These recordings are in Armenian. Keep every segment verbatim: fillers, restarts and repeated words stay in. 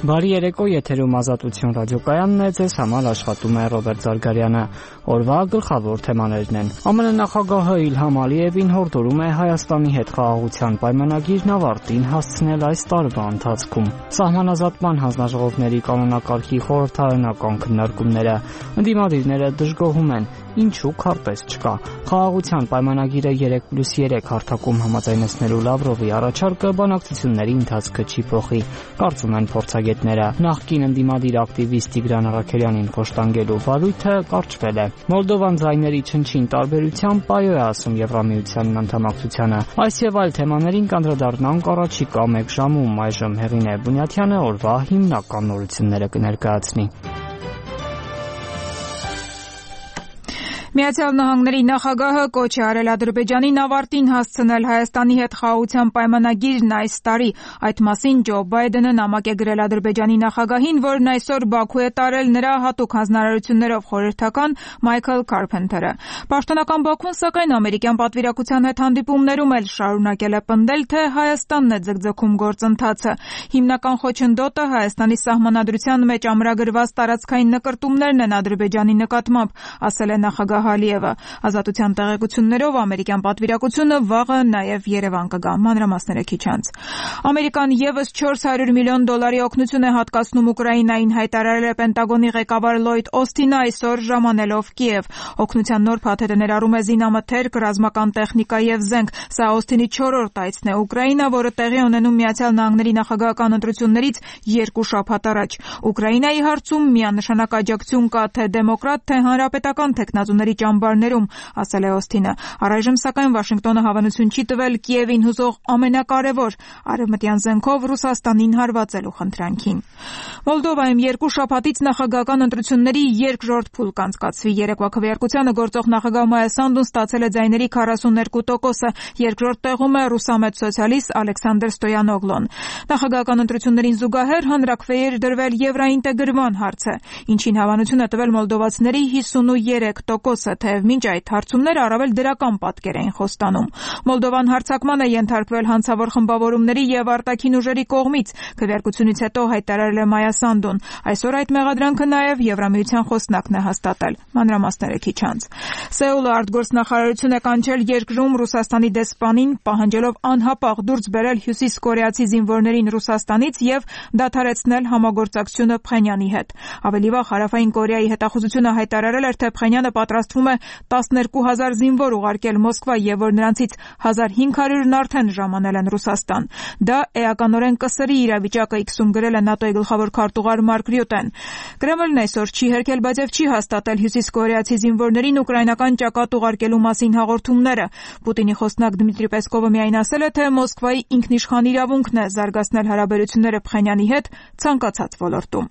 Բարի երեկո, եթերում Ազատություն ռադիոկայանն է, ձեզ համար աշխատում է Ռոբերտ Զարգարյանը։ Օրվա գլխավոր թեմաներն են։ ԱՄՆ նախագահը Իլհամ Ալիևին հորդորում է Հայաստանի հետ խաղաղության պայմանագիրն ավարտին հասցնել այս տարվա ընթացքում։ Սահմանազատման հանձնաժողովների կանոնակարգի խորհրդարանական քննարկումները։ Ընդդիմադիրները դժգոհում են, ինչու քարտեզ չկա։ Խաղաղության պայմանագիրը երեք պլյուս երեք հարթակում համաձայնեցնելու Լավրովի առաջարկը բանակցությունների ընթացքը չի փոխի, կարծում են փորձագետները։ Նախկին ընդդիմադիր ակտիվիստ Տիգրան Առաքելյանին խոշտանգելու վարույթը կարճվել է։ Մոլդովան ձայների չնչին տարբերությամբ պայո է ասում Եվրամիության անդամակցությանը։ Այս եւ այլ թեմաներին կանդրադառնանք առաջիկա մեկ ժամում։ Այժմ Հեղինե Բունյաթյանը օրվա հիմնական նորությունները կներկայացնի։ Միացյալ Նահանգների նախագահը կոչ է արել Ադրբեջանին ավարտին հասցնել Հայաստանի հետ խաղաղության պայմանագիրն այս տարի։ Այդ մասին Ջո Բայդենը նամակ է գրել Ադրբեջանի նախագահին, որն այսօր Բաքու է տարել նրա հատուկ հանձնարարություններով խորհրդական Մայքլ Քարփենթերը։ Պաշտոնական Բաքուն, սակայն, ամերիկյան պատվիրակության հետ հանդիպումներում էլ շարունակել է պնդել, թե Հայաստանն է ձգձգում գործընթացը։ Հիմնական խոչընդոտը Հայաստանի սահմանադրության մեջ ամրագրված տարածքային նկրտումներն են Ադրբեջանի նկատմամբ, ասել է նախագահ Ալիևը։ Ազատության տեղեկություններով ամերիկյան պատվիրակությունը վաղը նաև Երևան կգա։ Մանրամասները քիչ անց։ Ամերիկան եւս չորս հարյուր միլիոն դոլարի օգնություն է հատկացնում Ուկրաինային, հայտարարել է Պենտագոնի ղեկավար Լոյդ Օսթինը այսօր ժամանելով Կիև։ Օգնության նոր փաթեթը ներառում է զինամթերք, ռազմական տեխնիկա եւ զենք։ Սա Օսթինի չորրորդ այցն է Ուկրաինա, որը տեղի ունենում Միացյալ Նահանգների նախագահական ընտրություններից երկու շաբաթ առաջ։ Ուկրաինայի հարցում միանշանակ աջակցություն կա թե դեմոկրատ, թե հանրապետական թեկնածուների ճամբարներում, ասել է Օսթինը։ Առայժմ, սակայն, Վաշինգտոնը հավանություն չի տվել Կիևին հուզող ամենակարևոր արևմտյան զենքով Ռուսաստանին հարվածելու խնդրանքին։ Մոլդովայում երկու շաբաթից նախագահական ընտրությունների երկրորդ փուլ կանցկացվի։ Երեկվա քվեարկությանը գործող նախագահ Մայա Սանդուն ստացել է ձայների քառասուններկու տոկոսը, երկրորդ տեղում է ռուսամետ սոցիալիստ Ալեքսանդր Ստոյանոգլոն։ Նախագահական ընտրություններին զուգահեռ հանրաքվեի դրվել եվրաինտեգրման հարցը, ինչին հավանություն է տվել մոլդովացիների հիսունուերեք տոկոսը, թեև մինչ այդ հարցումները առավել դրական պատկեր էին խոստանում։ Մոլդովան հարձակման է ենթարկվել հանցավոր խմբավորումների եւ արտաքին ուժերի կողմից, քվեարկությունից հետո հայտարարել է Մայա Սանդուն։ Այսօր այդ մեղադրանքը նաեւ Եվրամիության խոսնակն է հաստատել։ Մանրամասները քիչ անց։ Սեուլը արտգործնախարարություն է կանչել երկրում Ռուսաստանի դեսպանին, պահանջելով անհապաղ դուրս բերել հյուսիսկորեացի զինվորներին Ռուսաստանից եւ դադարեցնել համագործակցությունը Փխենյանի հետ։ Ավելի վաղ Հարավային Կորեայի հետախուզությունը հայտարարել էր, թե Փխենյանը պատրաստվում է տասներկու հազար զինվոր ուղարկել Մոսկվա եւ որ նրանցից հազար հինգ հարյուրն արդեն ժամանել են Ռուսաստան։ Դա էականորեն կսրի իրավիճակը, իքսում գրել է ՆԱՏՕ-ի գլխավոր քարտուղար Մարկ Ռյուտեն։ Կրեմլն այսօր չի հերքել, բայց եւ չի հաստատել հյուսիսկորեացի զինվորներին ուկրաինական ճակատ ուղարկելու մասին հաղորդումները։ Պուտինի խոսնակ Դմիտրի Պեսկովը միայն ասել է, թե Մոսկվայի ինքնիշխան իրավունքն է զարգացնել հարաբերությունները Փխենյանի հետ ցանկացած ոլորտում։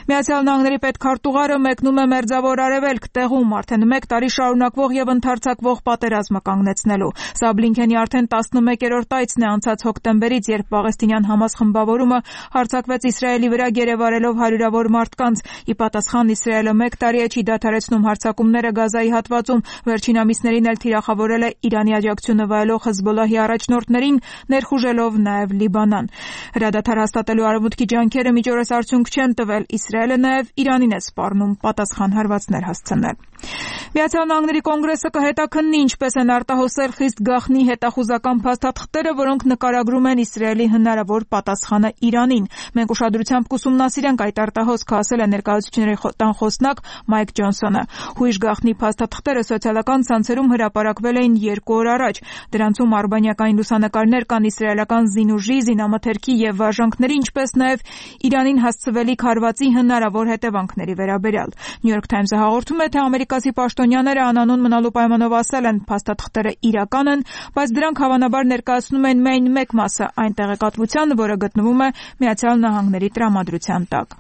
Միացյալ Նահանգների պետքարտուղարը մեկնում է Մերձավոր Արևելք, տեղում արդեն մեկ տարի շարունակվող եւ ընդարձակվող պատերազմը կանգնեցնելու։ Սա Բլինքենի արդեն տասնմեկերորդ այցն է անցած հոկտեմբերից, երբ Պաղեստինյան Համաս խմբավորումը հարձակվեց Իսրայելի վրա գերեվարելով հարյուրավոր մարդկանց։ Ի պատասխան Իսրայելը մեկ տարի է չի դադարեցնում հարձակումները Գազայի հատվածում, վերջին ամիսներին էլ թիրախավորել է Իրանի աջակցությունը վայելող Հեզբոլլահի առաջնորդներին, ներխուժելով նաեւ Լիբանան։ Հրադադար հաստատելու արևմուտքի ջանքերը միջօրես արդյունք չեն տվել, Իսրայելը նաեւ Իրանին է սպառնում պատասխան հարվածներ հասցնել։ Միացյալ Նահանգների կոնգրեսը կհետաքննի ինչպես են արտահոսել խիստ գաղտնի հետախուզական փաստաթղթերը, որոնք նկարագրում են Իսրայելի հնարավոր պատասխանը Իրանին։ Մենք ուշադրությամբ կուսումնասիրենք այդ արտահոսքը, ասել է ներկայացուցիչների տան խոսնակ Մայք Ջոնսոնը։ Հույժ գաղտնի փաստաթղթերը սոցիալական ցանցերում հրապարակվել էին երկու օր առաջ։ Դրանցում արբանյակային լուսանկարներ կան իսրայելական զինուժի, զինամթերքի եւ վարժանքների, ինչպես նաեւ Իրանին հասցվելիք հարվածի հնարավոր հետևանքների վերաբերյալ։ New York Times-ը հաղորդում է, թե ամերիկացի պաշտոնյաները անանուն մնալու պայմանով ասել են, փաստաթղթերը իրական են, բայց դրանք հավանաբար ներկայացնում են միայն մեկ մասը այն տեղեկատվության, որը գտնվում է Միացյալ Նահանգների տրամադրության տակ։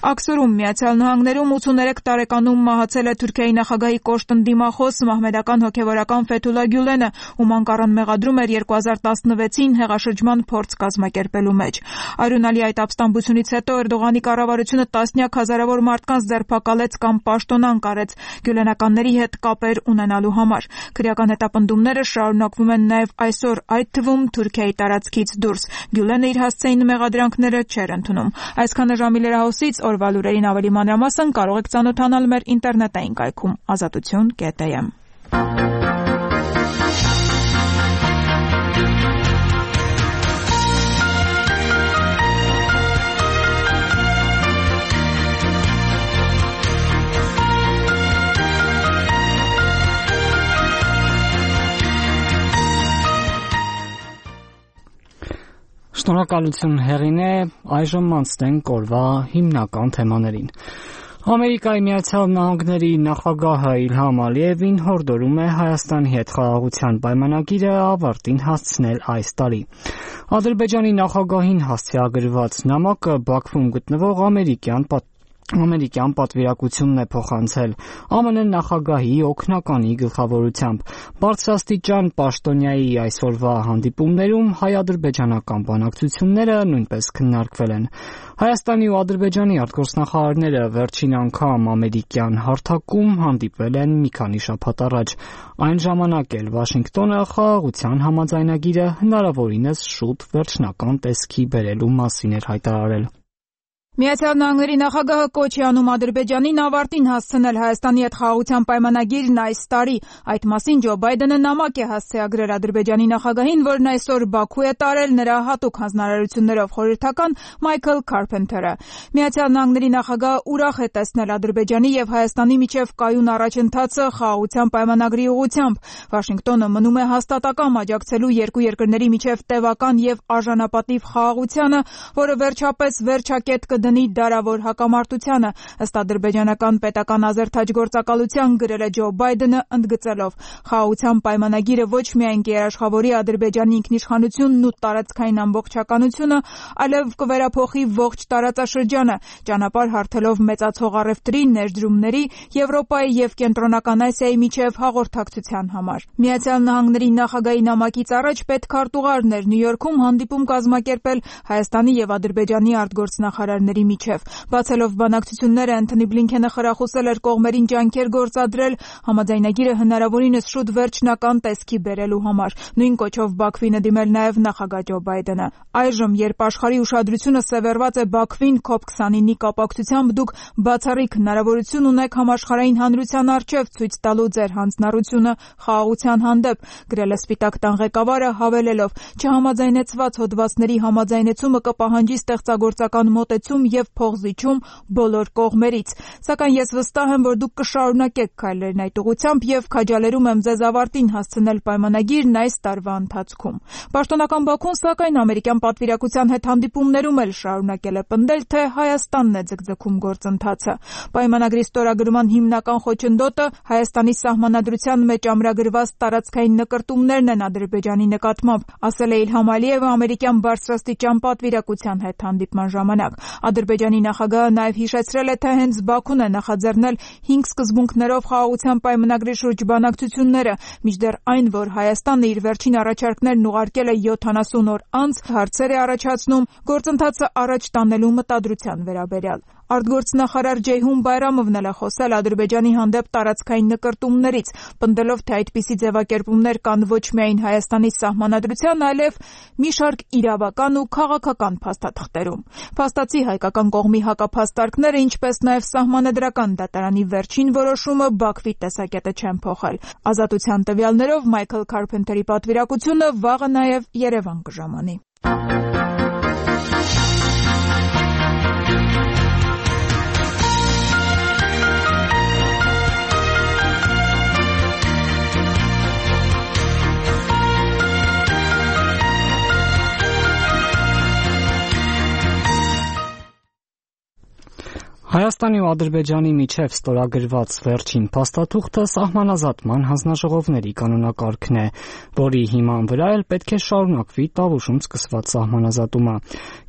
Աքսորում Միացյալ Նահանգներում ութսուներեք տարեկանում մահացել է Թուրքիայի նախագահի կոշտ ընդդիմախոս մահմեդական հոգևորական Ֆեթուլա Գյուլենը, ում անկառան մեղադրում էր երկու հազար տասնվեցին հեղաշրջման փորձ կազմակերպելու մեջ։ Արյունալի այդ ապստամբությունից հետո Էրդողանի կառավարությունը տասնյակ հազարավոր մարդկանց ձերբակալեց կամ պաշտոնանկ արեց։ Գյուլենականները կառավարությունների հետ կապեր ունենալու համար։ Քրեական հետապնդումները շարունակվում են նաև այսօր, այդ թվում Թուրքիայի տարածքից դուրս։ Գյուլենը իր հասցեին մեղադրանքները չէր ընդունում։ Այսքանը ժամի լրահոսից օրվա լուրերին ավելի մանրամասն կարող եք ծանոթանալ մեր ինտերնետային կայքում ազատություն կետ էմ։ Շնորհակալություն Հեղինե, այժմ անցնենք օրվա հիմնական թեմաներին։ Ամերիկայի Միացյալ Նահանգների նախագահը Իլհամ Ալիևին հորդորում է Հայաստանի հետ խաղաղության պայմանագիրը ավարտին հասցնել այս տարի։ Ադրբեջանի նախագահին հասցեագրված նամակը Բաքվում գտնվող ամերիկյան պատ Ամերիկյան պատվիրակությունն է փոխանցել Ամն նախագահի օգնականի գլխավորությամբ։ Բարձրաստիճան պաշտոնյայի այսօրվա հանդիպումներում հայ-ադրբեջանական բանակցությունները նույնպես քննարկվել են։ Հայաստանի ու Ադրբեջանի արտգործնախարարները վերջին անգամ ամերիկյան հարթակում հանդիպվել են մի քանի շաբաթ առաջ։ Այն ժամանակ էլ Վաշինգտոնը խաղաղության համաձայնագիրը հնարավորինս շուտ վերջնական տեսքի բերելու մասին էր հայտարարել։ Միացյալ Նահանգների նախագահը կոչ է անում Ադրբեջանին ավարտին հասցնել Հայաստանի հետ խաղաղության պայմանագիրն այս տարի։ Այդ մասին Ջո Բայդենը նամակ է հասցեագրել Ադրբեջանի նախագահին, որն այսօր Բաքու է տարել նրա հատուկ հանձնարարություններով խորհրդական Մայքլ Քարփենթերը։ Միացյալ Նահանգների նախագահը ուրախ է տեսնել Ադրբեջանի եւ Հայաստանի միջև կայուն առաջընթացը խաղաղության պայմանագրի ուղղությամբ։ Վաշինգտոնը մնում է հաստատակամ աջակցելու երկու երկրների միջև տևական եւ արժանապատիվ խաղաղությանը, որը վերջապես վերջակետ կդնի դարավոր հակամարտությանը, ըստ ադրբեջանական պետական ազերթաջ գործակալության գրել է Ջո Բայդենը, ընդգծելով. խաղաղության պայմանագիրը ոչ միայն կերաշխավորի Ադրբեջանի ինքնիշխանությունն ու տարածքային ամբողջականությունը, այլև կվերափոխի ողջ տարածաշրջանը, ճանապարհ հարթելով մեծացող առևտրի, ներդրումների, Եվրոպայի եւ Կենտրոնական Ասիայի միջև հաղորդակցության համար։ Միացյալ Նահանգների նախագահի նամակից առաջ պետքարտուղարն էր Նյու Յորքում հանդիպում կազմակերպել Հայաստանի եւ Ադրբեջանի արտգործնախարարների միջև։ Բացելով բանակցությունները, Անթոնի Բլինքենը խրախուսել էր կողմերին ջանքեր գործադրել համաձայնագիրը հնարավորինս շուտ վերջնական տեսքի բերելու համար։ Նույն կոչով Բաքվին է դիմել նաև նախագահ Ջո Բայդենը։ Այժմ, երբ աշխարհի ուշադրությունը սևեռված է Բաքվին կոպ քսանինի կապակցությամբ, դուք բացառիկ հնարավորություն ունեք համաշխարհային հանրության առջև ցույց տալու ձեր հանձնառությունը խաղաղության հանդեպ, գրել է Սպիտակ տան ղեկավարը, հավելելով. չհամաձայնեցված հոդվածների համաձայնեցումը կպահանջի ստեղծագործական մոտեցում եւ փողզիչում բոլոր կողմերից։ Սակայն ես վստահ եմ, որ դուք կշարունակեք քայլերն այդ ուղղությամբ եւ քաջալերում եմ ձեզ ավարտին հասցնել պայմանագիրն այս տարվա ընթացքում։ Պաշտոնական Բաքուն, սակայն ամերիկյան պատվիրակության հետ հանդիպումներում էլ շարունակել է պնդել, թե Հայաստանն է ձգձգում գործընթացը։ Պայմանագրի ստորագրման հիմնական խոչընդոտը Հայաստանի սահմանադրության մեջ ամրագրված տարածքային նկրտումներն են Ադրբեջանի նկատմամբ, ասել է Իլհամ Ալիևը ամերիկյան բարձրաստիճան պատվիրակության հետ հանդիպման ժամանակ։ Ադրբեջանի նախագահը նաև հիշեցրել է, թե հենց Բաքուն է նախաձեռնել հինգ սկզբունքներով խաղաղության պայմանագրի շուրջ բանակցությունները, մինչդեռ այն, որ Հայաստանը իր վերջին առաջարկներն ուղարկել է յոթանասուն օր անց, հարցեր է առաջացնում գործընթացը առաջ տանելու մտադրության վերաբերյալ։ Արտգործնախարար Ջեյհուն Բայրամովն էլ է խոսել Ադրբեջանի հանդեպ տարածքային նկրտումներից, պնդելով, թե այդպիսի ձևակերպումներ կան ոչ միայն Հայաստանի սահմանադրության, այլև մի շարք իրավական ու քաղաքական փաստաթղթերում։ Փաստացի հայկական կողմի հակափաստարկները, ինչպես նաև սահմանադրական դատարանի վերջին որոշումը Բաքվի տեսակետը չեն փոխել։ Ազատության տվյալներով Մայքլ Քարփենթերի պատվիրակությունը վաղը նաև Երևան կժամանի։ Հայաստանի ու Ադրբեջանի միջև ստորագրված վերջին փաստաթուղթը սահմանազատման հանձնաժողովների կանոնակարգն է, որի հիման վրա էլ պետք է շարունակվի Տավուշում սկսված սահմանազատումը։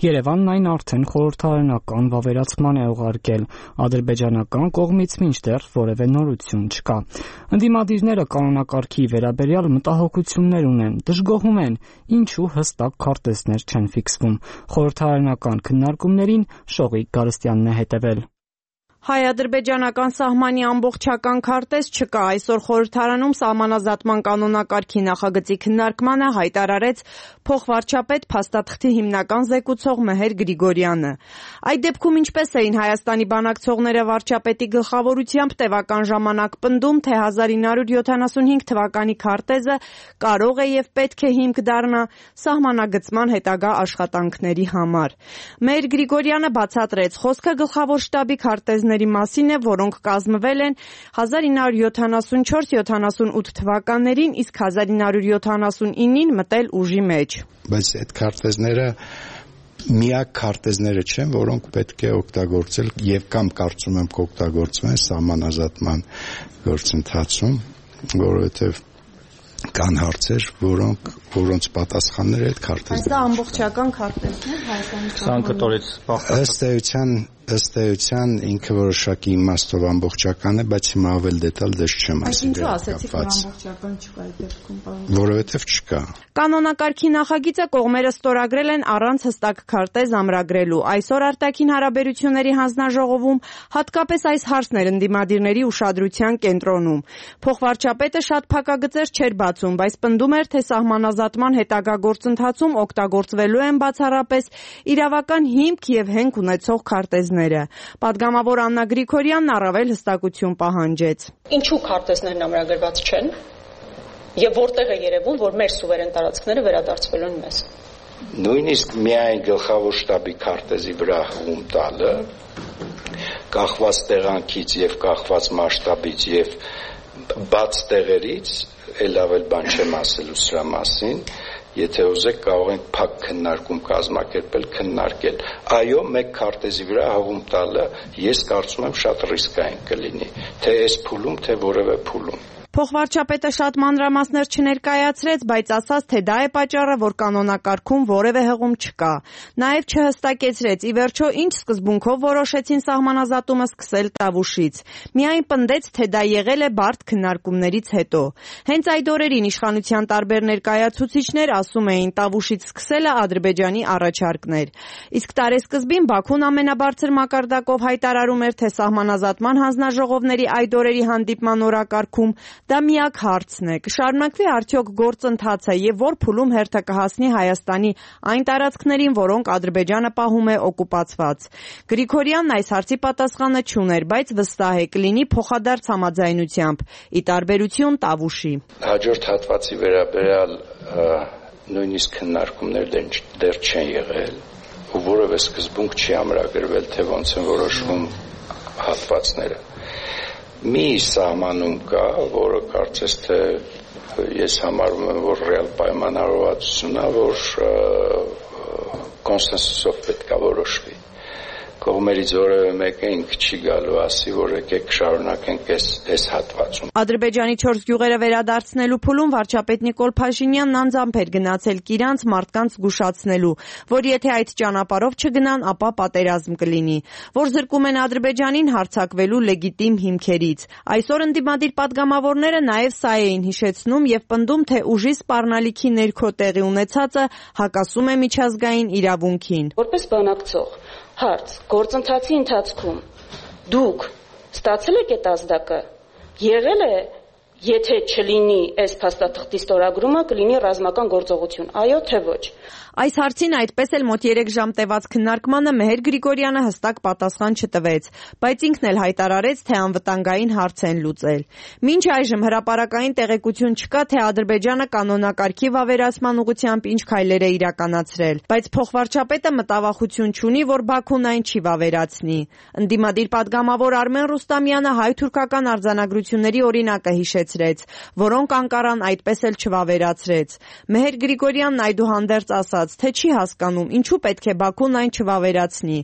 Երևանն այն արդեն խորհրդարանական վավերացման է ուղարկել, ադրբեջանական կողմից մինչդեռ որևէ նորություն չկա։ Ընդդիմադիրները կանոնակարգի վերաբերյալ մտահոգություններ ունեն, դժգոհում են, ինչու հստակ քարտեզներ չեն ֆիքսվում։ Խորհրդարանական քննարկումներին Շողիկ Գարստյանն է հետևել։ Հայ-ադրբեջանական սահմանի ամբողջական քարտեզ չկա։ Այսօր խորհրդարանում սահմանազատման կանոնակարգի նախագծի քննարկմանը հայտարարեց փոխվարչապետ փաստաթղթի հիմնական զեկուցող Մեհեր Գրիգորյանը։ Այդ դեպքում ինչպես էին Հայաստանի բանակցողները վարչապետի գլխավորությամբ տևական ժամանակ պնդում, թե հազար ինը հարյուր յոթանասունհինգ թվականի քարտեզը կարող է եւ պետք է հիմք դառնա սահմանագծման հետագա աշխատանքների համար։ Մեհեր Գրիգորյանը բացատրեց, խոսքը գլխավոր շտաբի քարտեզների մասին է, որոնք կազմվել են հազար ինը հարյուր յոթանասունչորս յոթանասունութ թվականներին, իսկ հազար ինը հարյուր յոթանասունինին մտել ուժի մեջ։ Բայց այդ քարտեզները միակ քարտեզները չեն, որոնք պետք է օգտագործել եւ կամ կարծում եմ կօգտագործվեն սահմանազատման գործընթացում, որովհետեւ կան հարցեր, որոնք որոնց պատասխանները այդ քարտեզներում։ Այս դա ամբողջական քարտեզն է Հայաստանի ցանկատարից ըստ էության ըստ էության ինքը որոշակի իմաստով ամբողջական է, բայց հիմա ավել դետալ դες չեմ ասի։ Ինչու ասեցիք, որ ամբողջական չկա այդ դեպքում, պարոն։ Որովհետև չկա։ Կանոնակարգի նախագիծը կողմերը ստորագրել են առանց հստակ քարտեզ ամրագրելու։ Այսօր արտաքին հարաբերությունների հանձնաժողովում հատկապես այս հարցն էր ընդդիմադիրների ուշադրության կենտրոնում։ Փոխվարչապետը շատ փակագծեր չէր բացում, բայց պնդում էր, թե սահմանազատման հետագա գործընթացում օգտագործվելու են բացառապես իրավական հիմք եւ հենք ունեցող քարտեզները։ Պատգամավոր Աննա Գրիգորյանն առավել հստակություն պահանջեց։ Ինչու քարտեզներն ամրագրված չեն եւ որտեղ է երևում, որ մեր սուվերեն տարածքները վերադարձվելու են մեզ։ Նույնիսկ միայն գլխավոր շտաբի քարտեզի վրա հում տալը կախված տեղանքից եւ կախված մասշտաբից եւ բաց տեղերից էլ ավել բան չեմ ասելու սրա մասին, եթե ուզեք կարող ենք փակ քննարկում կազմակերպել, քննարկել։ Այո, մեկ քարտեզի վրա հողում տալը ես կարծում եմ շատ ռիսկային կլինի, թե այս փուլում, թե որևէ փուլում։ Փոխվարչապետը շատ մանրամասներ չներկայացրեց, բայց ասաց, թե դա է պատճառը, որ կանոնակարգում որևէ հղում չկա։ Նաև չհստակեցրեց, ի վերջո ինչ սկզբունքով որոշեցին սահմանազատումը սկսել Տավուշից։ Միայն պնդեց, թե դա եղել է բարդ քննարկումներից հետո։ Հենց այդ օրերին իշխանության տարբեր ներկայացուցիչներ ասում էին, Տավուշից սկսելը Ադրբեջանի առաջարկն էր։ Իսկ տարեսկզբին Բաքուն ամենաբարձր մակարդակով հայտարարում էր, թե սահմանազատման հանձնաժողովների այդ օրերի հանդիպման օրակարգում դա միակ հարցն է։ Կշարունակվի արդյոք գործընթացը եւ որ փուլում հերթը կհասնի Հայաստանի այն տարածքներին, որոնք Ադրբեջանը պահում է օկուպացված։ Գրիգորյանն այս հարցի պատասխանը չուներ, բայց վստահ է կլինի փոխադարձ համաձայնությամբ, ի տարբերություն Տավուշի։ Հաջորդ հատվածի վերաբերյալ նույնիսկ քննարկումներ դեռ չեն եղել, ու որևէ սկզբունք չի ամրագրվել, թե ոնց են որոշվում հատվածները։ Մի սահմանում կա, որը կարծես թե ես համարում եմ, որ ռեալ պայմանավորվածությունն է, որ կոնսենսուսով պետք է որոշվի։ Կողմերից որևէ մեկը ինքը չի գալու ասի, որ եկեք շարունակենք այս այս հատվածում։ Ադրբեջանի չորս գյուղերը վերադարձնելու փուլում վարչապետ Նիկոլ Փաշինյանն անձամբ էր գնացել Կիրանց մարդկանց զգուշացնելու, որ եթե այդ ճանապարհով չգնան, ապա պատերազմ կլինի, որ զրկում են Ադրբեջանին հարձակվելու լեգիտիմ հիմքերից։ Այսօր ընդդիմադիր պատգամավորները նաև սա էին հիշեցնում եւ պնդում, թե ուժի սպառնալիքի ներքո տեղի ունեցածը հակասում է միջազգային իրավունքին։ Որպես բանակցող հարց, գործընթացի ընթացքում դուք ստացել եք այդ ազդակը, եղել է, եթե չլինի այս փաստաթղթի ստորագրումը, կլինի ռազմական գործողություն, այո թե ոչ։ Այս հարցին այդպես էլ մոտ երեք ժամ տևած քննարկմանը Մեհեր Գրիգորյանը հստակ պատասխան չտվեց, բայց ինքն էլ հայտարարեց, թե անվտանգային հարց են լուծել։ Մինչ այժմ հրապարակային տեղեկություն չկա, թե Ադրբեջանը կանոնակարգի վավերացման ուղղությամբ ինչ քայլեր է իրականացրել, բայց փոխվարչապետը մտավախություն չունի, որ Բաքուն այն չի վավերացնի։ Ընդդիմադիր պատգամավոր Արմեն Ռուստամյանը հայ-թուրքական արձանագրությունների օրինակը հիշեցրեց, որոնք Անկարան այդպես էլ չվավերացրեց։ Մեհեր Գրիգորյանն այդուհանդերձ ասաց, թե չի հասկանում, ինչու պետք է Բաքուն այն չվավերացնի,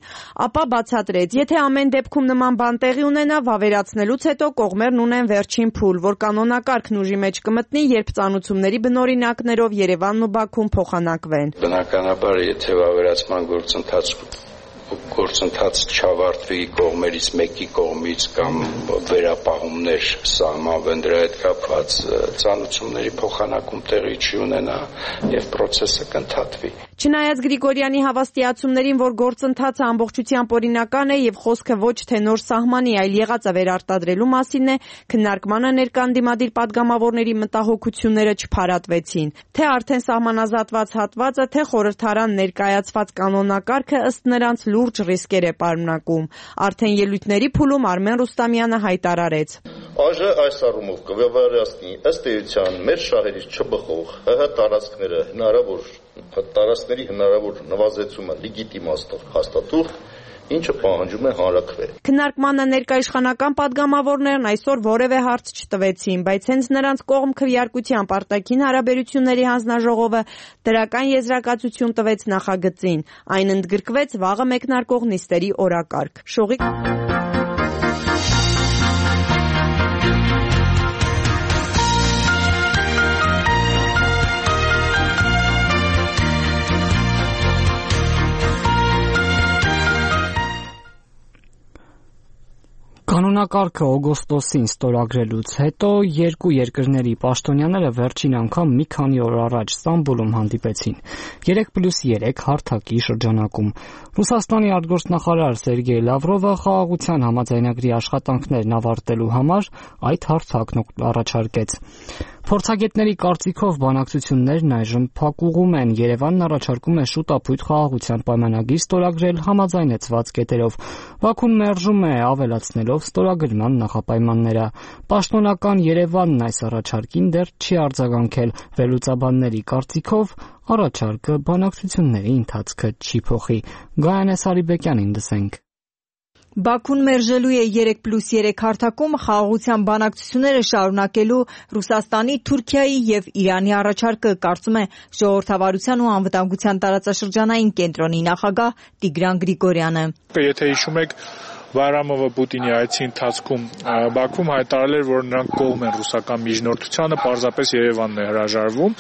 ապա բացատրեց, եթե ամեն դեպքում նման բան տեղի ունենա, վավերացնելուց հետո կողմերն ունեն վերջին փուլ, որ կանոնակարգն ուժի մեջ կմտնի, երբ ծանուցումների բնօրինակներով Երևանն ու Բաքուն փոխանակվեն։ Բնականաբար, եթե վավերացման գործընթաց գործընթաց չավարտվի կողմերից մեկի կողմից կամ վերապահումներ սահմանվեն դրա հետ կապված, ծանուցումների փոխանակում տեղի չի ունենա եւ process-ը կընդհատվի։ Չնայած Գրիգորյանի հավաստիացումներին, որ գործընթացը ամբողջությամբ օրինական է եւ խոսքը ոչ թե նոր սահմանի, այլ եղածը վերարտադրելու մասին է, քննարկմանը ներկա ընդդիմադիր падգամավորների մտահոգությունները չփարատվեցին։ Թե արդեն սահմանազատված հատվածը, թե խորհրդարան ներկայացված կանոնակարգը ըստ նրանց լուրջ ռիսկեր է պարունակում։ Արդեն ելույթների փուլում Արմեն Ռուստամյանը հայտարարեց. Աժ այս առումով կվավերացնի ըստ էության մեր շահերից չբխող ՀՀ տարածքները հնարավոր տարածքների հնարավոր նվազեցումը լեգիտիմացնող հաստատող, ինչը պահանջում է հանրաքվե։ Քննարկմանը ներկա իշխանական падգամավորներն այսօր որևէ հարց չտվեցին, բայց հենց նրանց կողմ քվեարկությամբ արտաքին հարաբերությունների հանձնաժողովը դրական եզրակացություն տվեց նախագծին։ Այն ընդգրկվեց վաղը մեկնարկող նիստերի օրակարգ։ Շողիկ Կանոնակարգը օգոստոսին ստորագրելուց հետո երկու երկրների պաշտոնյաները վերջին անգամ մի քանի օր առաջ Ստամբուլում հանդիպեցին երեք պլյուս երեք հարթակի շրջանակում։ Ռուսաստանի արտգործնախարար Սերգեյ Լավրովը խաղաղության համաձայնագրի աշխատանքներն ավարտելու համար այդ հարթակն առաջարկեց։ Փորձագետների կարծիքով բանակցություններն այժմ փակուղում են։ Երևանն առաջարկում է շուտապույտ խաղաղության պայմանագիր ստորագրել համաձայնեցված կետերով։ Բաքուն մերժում է, ավելացնելով ստորագրման նախապայմանները։ Պաշտոնական Երևանն այս առաջարկին դեռ չի արձագանքել։ Վերլուծաբանների կարծիքով առաջարկը բանակցությունների ընթացքը չի փոխի։ Գայանե Սարիբեկյանին լսենք։ Բաքուն մերժելու է երեք պլյուս երեք հարթակում խաղաղության բանակցությունները շարունակելու Ռուսաստանի, Թուրքիայի եւ Իրանի առաջարկը, կարծում է Ժողովրդավարության ու անվտանգության տարածաշրջանային կենտրոնի նախագահ Տիգրան Գրիգորյանը։ Եթե հիշում եք, Բայրամովը Պուտինի այցի ընթացքում Բաքվում հայտարարել էր, որ նրանք կողմ են ռուսական միջնորդությանը, պարզապես Երևանն է հրաժարվում։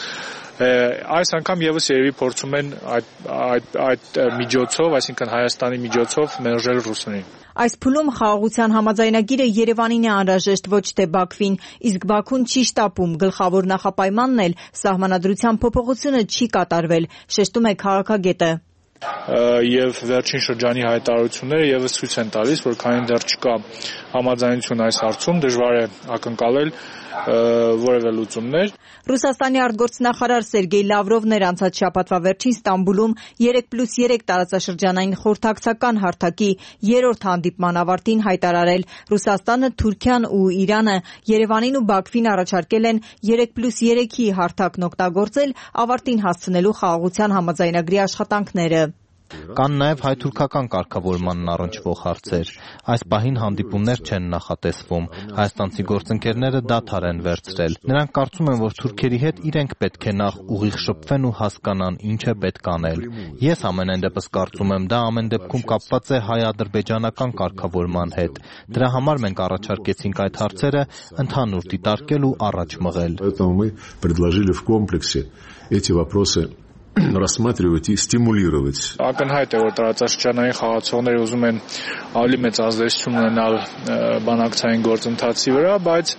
Այս անգամ եւս երևի փորձում են այդ այդ այդ միջոցով, այսինքն Հայաստանի միջոցով մերժել ռուսներին։ Այս փուլում խաղաղության համաձայնագիրը Երևանին է անհրաժեշտ, ոչ թե Բաքվին, իսկ Բաքուն չի շտապում։ Գլխավոր նախապայմանն էլ սահմանադրության փոփոխությունը չի կատարվել, շեշտում է քաղաքագետը։ Եվ վերջին շրջանի հայտարարությունները եւս ցույց են տալիս, որ քանի դեռ չկա համաձայնություն այս հարցում, դժվար է ակնկալել որևէ լուծումներ։ Ռուսաստանի արտգործնախարար Սերգեյ Լավրովն էր անցած շաբաթվա վերջին Ստամբուլում երեք պլյուս երեք տարածաշրջանային խորհրդակցական հարթակի երրորդ հանդիպման ավարտին հայտարարել. Ռուսաստանը, Թուրքիան ու Իրանը Երևանին ու Բաքվին առաջարկել են երեք պլյուս երեքի հարթակն օգտագործել ավարտին հասցնելու խաղաղության համաձայնագրի աշխատանքները։ Կան նաև հայ-թուրքական կարգավորմանն առնչվող հարցեր։ Այս պահին հանդիպումներ չեն նախատեսվում։ Հայաստանցի գործընկերները դադար են վերցրել։ Նրանք կարծում են, որ թուրքերի հետ իրենք պետք է նախ ուղիղ շփվեն ու հասկանան ինչ է պետք անել։ Ես ամենայն դեպս կարծում եմ, դա ամեն դեպքում կապված է հայ-ադրբեջանական կարգավորման հետ։ Դրա համար մենք առաջարկեցինք այդ հարցերը ընդհանուր դիտարկել ու առաջ մղել։ рассматривать и стимулировать. Ակնհայտ է, որ տարածաշրջանային խաղացողները ուզում են ավելի մեծ ազդեցություն ունենալ բանակցային գործընթացի վրա, բայց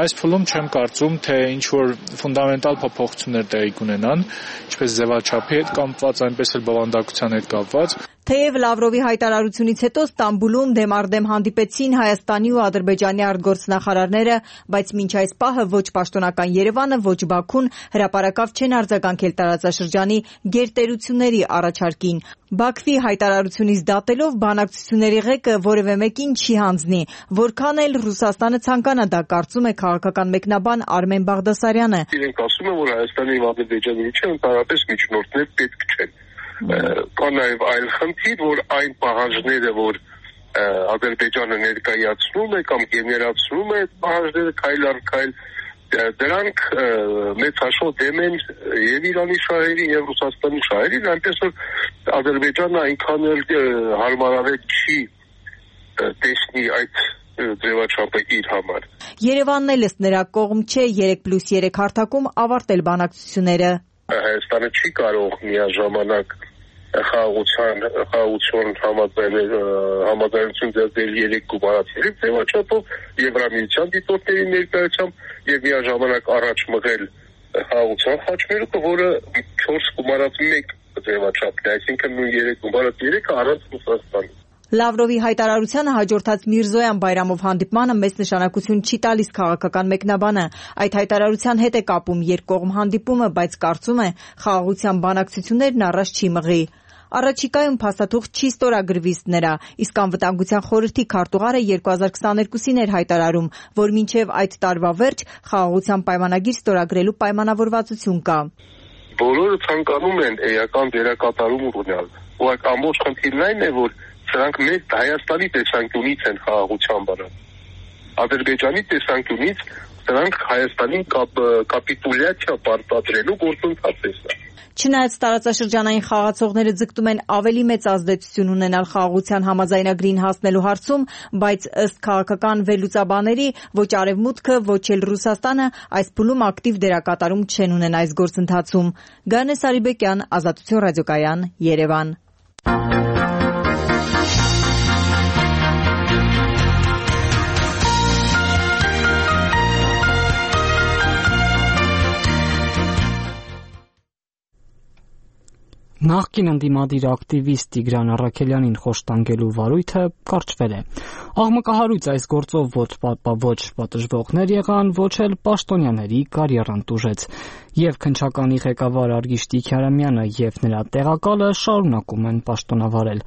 այս փուլում չեմ կարծում, թե ինչ որ ֆունդամենտալ փոփոխություններ տեղի կունենան, ինչպես ձևաչափի հետ կապված, այնպես էլ բովանդակության հետ կապված։ Թեև Լավրովի հայտարարությունից հետո Ստամբուլում դեմարդեմ հանդիպեցին Հայաստանի ու Ադրբեջանի արտգործնախարարները, բայց մինչ այս պահը ոչ պաշտոնական Երևանը, ոչ Բաքուն հրապարակավ չեն արձագանքել տարածաշրջանի գերտերությունների առաջարկին։ Բաքվի հայտարարությունից դատելով բանակցությունների ղեկը որևէ մեկին չի հանձնի, որքան էլ Ռուսաստանը ցանկանա դա, կարծում է քաղաքական մեկնաբան Արմեն Բաղդասարյանը։ Իրենք ասում են, որ Հայաստանի ու Ադրբեջանի միջև ընդհանրապես միջնորդներ պետք չեն։ Կա նաև այլ խնդիր, որ այն պահանջները, որ Ադրբեջանը ներկայացնում է կամ գեներացնում է պահանջները քայլ առ քայլ, դրանք մեծ հաշվով դեմ են եւ Իրանի շահերին եւ Ռուսաստանի շահերին, այնպես որ Ադրբեջանը այնքան էլ հարմարավետ չի տեսնի այդ ձևաչափը իր համար։ Երևանն էլ ըստ նրա կողմ չէ երեք պլյուս երեք հարթակում ավարտել բանակցությունները։ Հայաստանը չի կարող միաժամանակ խաղաղության խաղաղություն համաձայնություն ձեռնել երեք գումարացիների ձևաչափով Եվրամիության դիտորդների ներկայությամբ եւ միաժամանակ առաջ մղել խաղաղության խաչմերուկը, որը չորս գումարած մեկ ձևաչափն է, այսինքն նույն երեք բարդ երեքը առանց Ռուսաստանի։ Լավրովի հայտարարությանը հաջորդած Միրզոյան Բայրամով հանդիպմանը մեծ նշանակություն չի տալիս քաղաքական մեկնաբանը։ Այդ հայտարարության հետ է կապում երկկողմ հանդիպումը, բայց կարծում է խաղաղության բանակցություններն առաջ չի մղի։ Առաջիկայում փաստաթուղթ չի ստորագրվի նրա, իսկ անվտանգության խորհրդի քարտուղարը երկու հազար քսաներկուսին էր հայտարարում, որ մինչև այդ տարվա վերջ խաղաղության պայմանագիր ստորագրելու պայմանավորվածություն կա։ Բոլորը ցանկանում են էական դերակատարում ունենալ, ու այդ ամբողջ խնդիրն այն է, որ սրանք մեր Հայաստանի տեսանկյունից են խաղաղության բանը։ Ադրբեջանի տեսանկյունից սրանք Հայաստանին կապիտուլյացիա պարտադրելու գործընթաց է սա։ Չնայած տարածաշրջանային խաղացողները ձգտում են ավելի մեծ ազդեցություն ունենալ խաղաղության համաձայնագրին հասնելու հարցում, բայց ըստ քաղաքական վերլուծաբաների ոչ Արևմուտքը, ոչ էլ Ռուսաստանը այս փուլում ակտիվ դերակատարում չեն ունենա այս գործընթացում։ Գանե Սարիբեկյան, Ազատություն ռադիոկայան, Երևան։ Նախկին ընդդիմադիր ակտիվիստ Տիգրան Առաքելյանին խոշտանգելու վարույթը կարճվել է։ Աղմկահարույց այս գործով ոչ պատժվողներ եղան, ոչ էլ պաշտոնյաների կարիերան տուժեց։ Եվ քննչականի ղեկավար Արգիշ Տիգրամյանը եւ նրա տեղակալը շարունակում են պաշտոնավարել։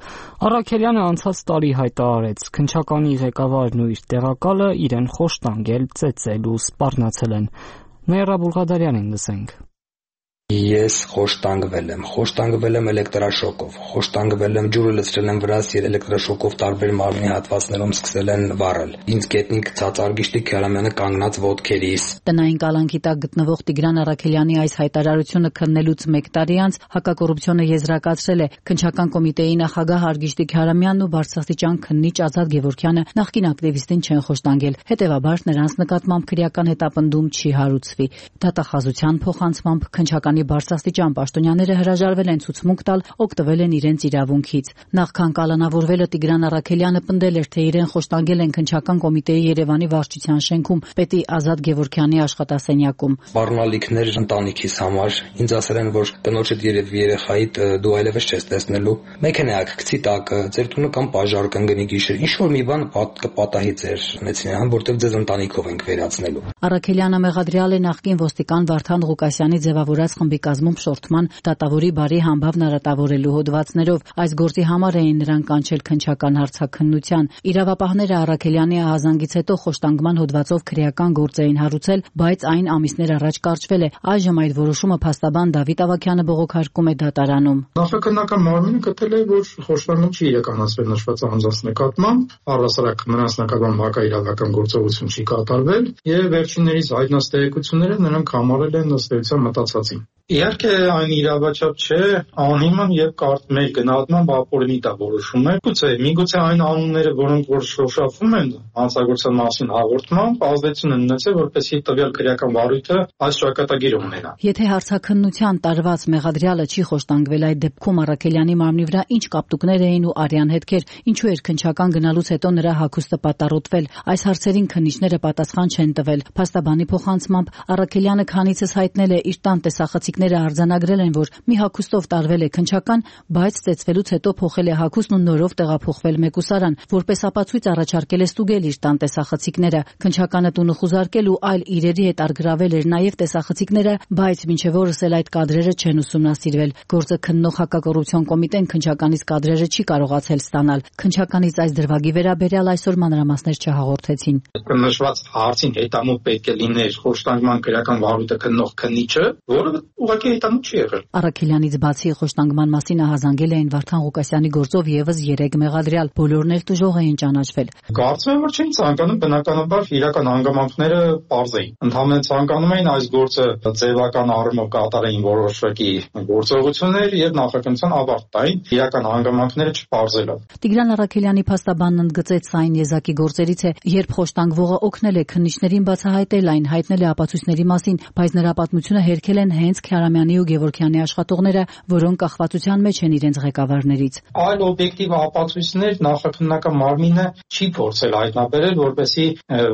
Առաքելյանը անցած տարի հայտարարեց, քննչականի ղեկավարն ու իր տեղակալը իրեն խոշտանգել, ծեծել ու սպառնացել են։ Նայրա Բուլղադարյանին լսենք։ Ես խոշտանգվել եմ, խոշտանգվել եմ էլեկտրաշոկով, խոշտանգվել եմ ջուրը լցրել եմ վրաս եւ էլեկտրաշոկով տարբեր մարմնի հատվածներում սկսել են վառել։ Ինձ գետնին գցած Արգիշ Տիգրամյանը կանգնած ոտքերիս։ Տնային կալանքի տակ գտնվող Տիգրան Առաքելյանի այս հայտարարությունը քննելուց մեկ տարի անց հակակոռուպցիոնը եզրակացրել է քննչական կոմիտեի նախագահ Արգիշ Տիգրամյանն ու բարձրաստիճան քննիչ Ազատ Գևորգյանը նախկին ակտիվիստին չեն խոշտանգել։ Հետևաբար նրանց նկատմամբ քրեական հետապնդում չի հարուցվի։ Դատախազության փոխանցմամբ քննչական բարձրաստիճան պաշտոնյաները հրաժարվել են ցուցմունք տալ, օգտվել են իրենց իրավունքից։ Նախքան կալանավորվելը Տիգրան Առաքելյանը պնդել էր, թե իրեն խոշտանգել են քննչական կոմիտեի Երևանի վարչության շենքում, պետի Ազատ Գևորգյանի աշխատասենյակում։ Սպառնալիքներ ընտանիքիս համար ինձ ասել են, որ տնոջդ երևի երեխայիդ դու այլևս չես տեսնելու։ Մեքենայակ գցի տակը, ձեր տունը կամ պաժար կընկնի գիշեր, ինչ որ մի բան կպատահի ձեր ունեցին, որտեղ ձեզ ընտանիքով ենք վերացնելու։ Առաքելյանը մեղադրյալ է նախկին ոստիկան Վարդան Ղուկասյանի ձևավորած խմբի կազմում շորթման դատավորի բարի համբավ նարատավորելու հոդվածներով։ Այս գործի համար էին նրան կանչել քննչական հարցաքննության։ Իրավապահները Առաքելյանի ահազանգից հետո խոշտանգման հոդվածով քրեական գործ էին հարուցել, բայց այն ամիսներ առաջ կարճվել է։ Այժմ այդ որոշումը փաստաբան Դավիթ Ավագյանը բողոքարկում է դատարանում։ Նախաքննական մարմինը գտել է, որ խոշտանգում չի իրականացվել նշված անձանց նկատմամբ, առհասարակ նրանց նկատմամբ հակաիրավական գործողություն չի կատարվել, եւ վերջիններիս հայտնած տեղեկությունները նրանք համարել են ըստ էության մտածածին։ Իհարկե այն իրավաչափ չէ, անհիմն եւ կարդ մեր գնահատման ապօրինի դա որոշում է։ Գուցե, միգուցե այն անունները, որոնք որ շոշափվում են հանցագործության մասին հաղորդմամբ, ազդեցություն են ունեցել, որպեսզի տվյալ քրեական վարույթը այս ճակատագիրը ունենա։ Եթե հարցաքննության տարված մեղադրյալը չի խոշտանգվել, այդ դեպքում Առաքելյանի մարմնի վրա ինչ կապտուկներ էին ու արյան հետքեր, ինչու էր քննչական գնալուց հետո նրա հագուստը պատառոտվել։ Այս հարցերին քննիչները պատասխան չեն տվել։ Փաստաբանի փոխանցմամբ Առաքելյանը քանիցս հայտնել է իր տան տեսախցիկները արձանագրել են, որ մի հագուստով տարվել է քննչական, բայց ծեծվելուց հետո փոխել է հագուստն ու նորով տեղափոխվել մեկուսարան, որպես ապացույց առաջարկել է ստուգել իր տան տեսախցիկները։ Քննչականը տունը խուզարկել ու այլ իրերի հետ արգրավել էր նաև տեսախցիկները, բայց մինչև օրս էլ այդ կադրերը չեն ուսումնասիրվել։ Գործը քննող հակակոռուպցիոն կոմիտեն քննչականից կադրերը չի կարողացել ստանալ։ Քննչականից այս դրվագի վերաբերյալ այսօր մանրամասներ չհաղորդեցին։ Նշված հարցին հետամուտ պետք է լիներ խոշտանգման քրեական վարույթը քննող քննիչը, որը ուղղակի հետամուտ չի եղել։ Առաքելյանից բացի խոշտանգման մասին ահազանգել էին Վարդան Ղուկասյանի գործով եւս երեք մեղադրյալ, բոլորն էլ տուժող էին ճանաչվել։ Կարծում եմ, որ չէին ցանկանում բնականաբար իրական հանգամանքները պարզեին։ Ընդհանրապես ցանկանում էին այս գործը ձևական առումով կատարեին որոշակի գործողություններ եւ նախաքննության ավարտ տային իրական հանգամանքները չպարզելով։ Տիգրան Առաքելյանի փաստաբանն ընդգծեց այն եզակի գործերից է, երբ խոշտանգվողը օգնել է քննիչներին բացահայտել այն, հայտնել է ապացույցների մասին, բայց նրա պատմությունը հերքել են հենց Քյարամյանի ու Գևորգյանի աշխատողները, որոնք կախվածության մեջ են իրենց ղեկավարներից։ Այլ օբյեկտիվ ապացույցներ նախաքննական մարմինը չի փորձել հայտնաբերել, որպեսզի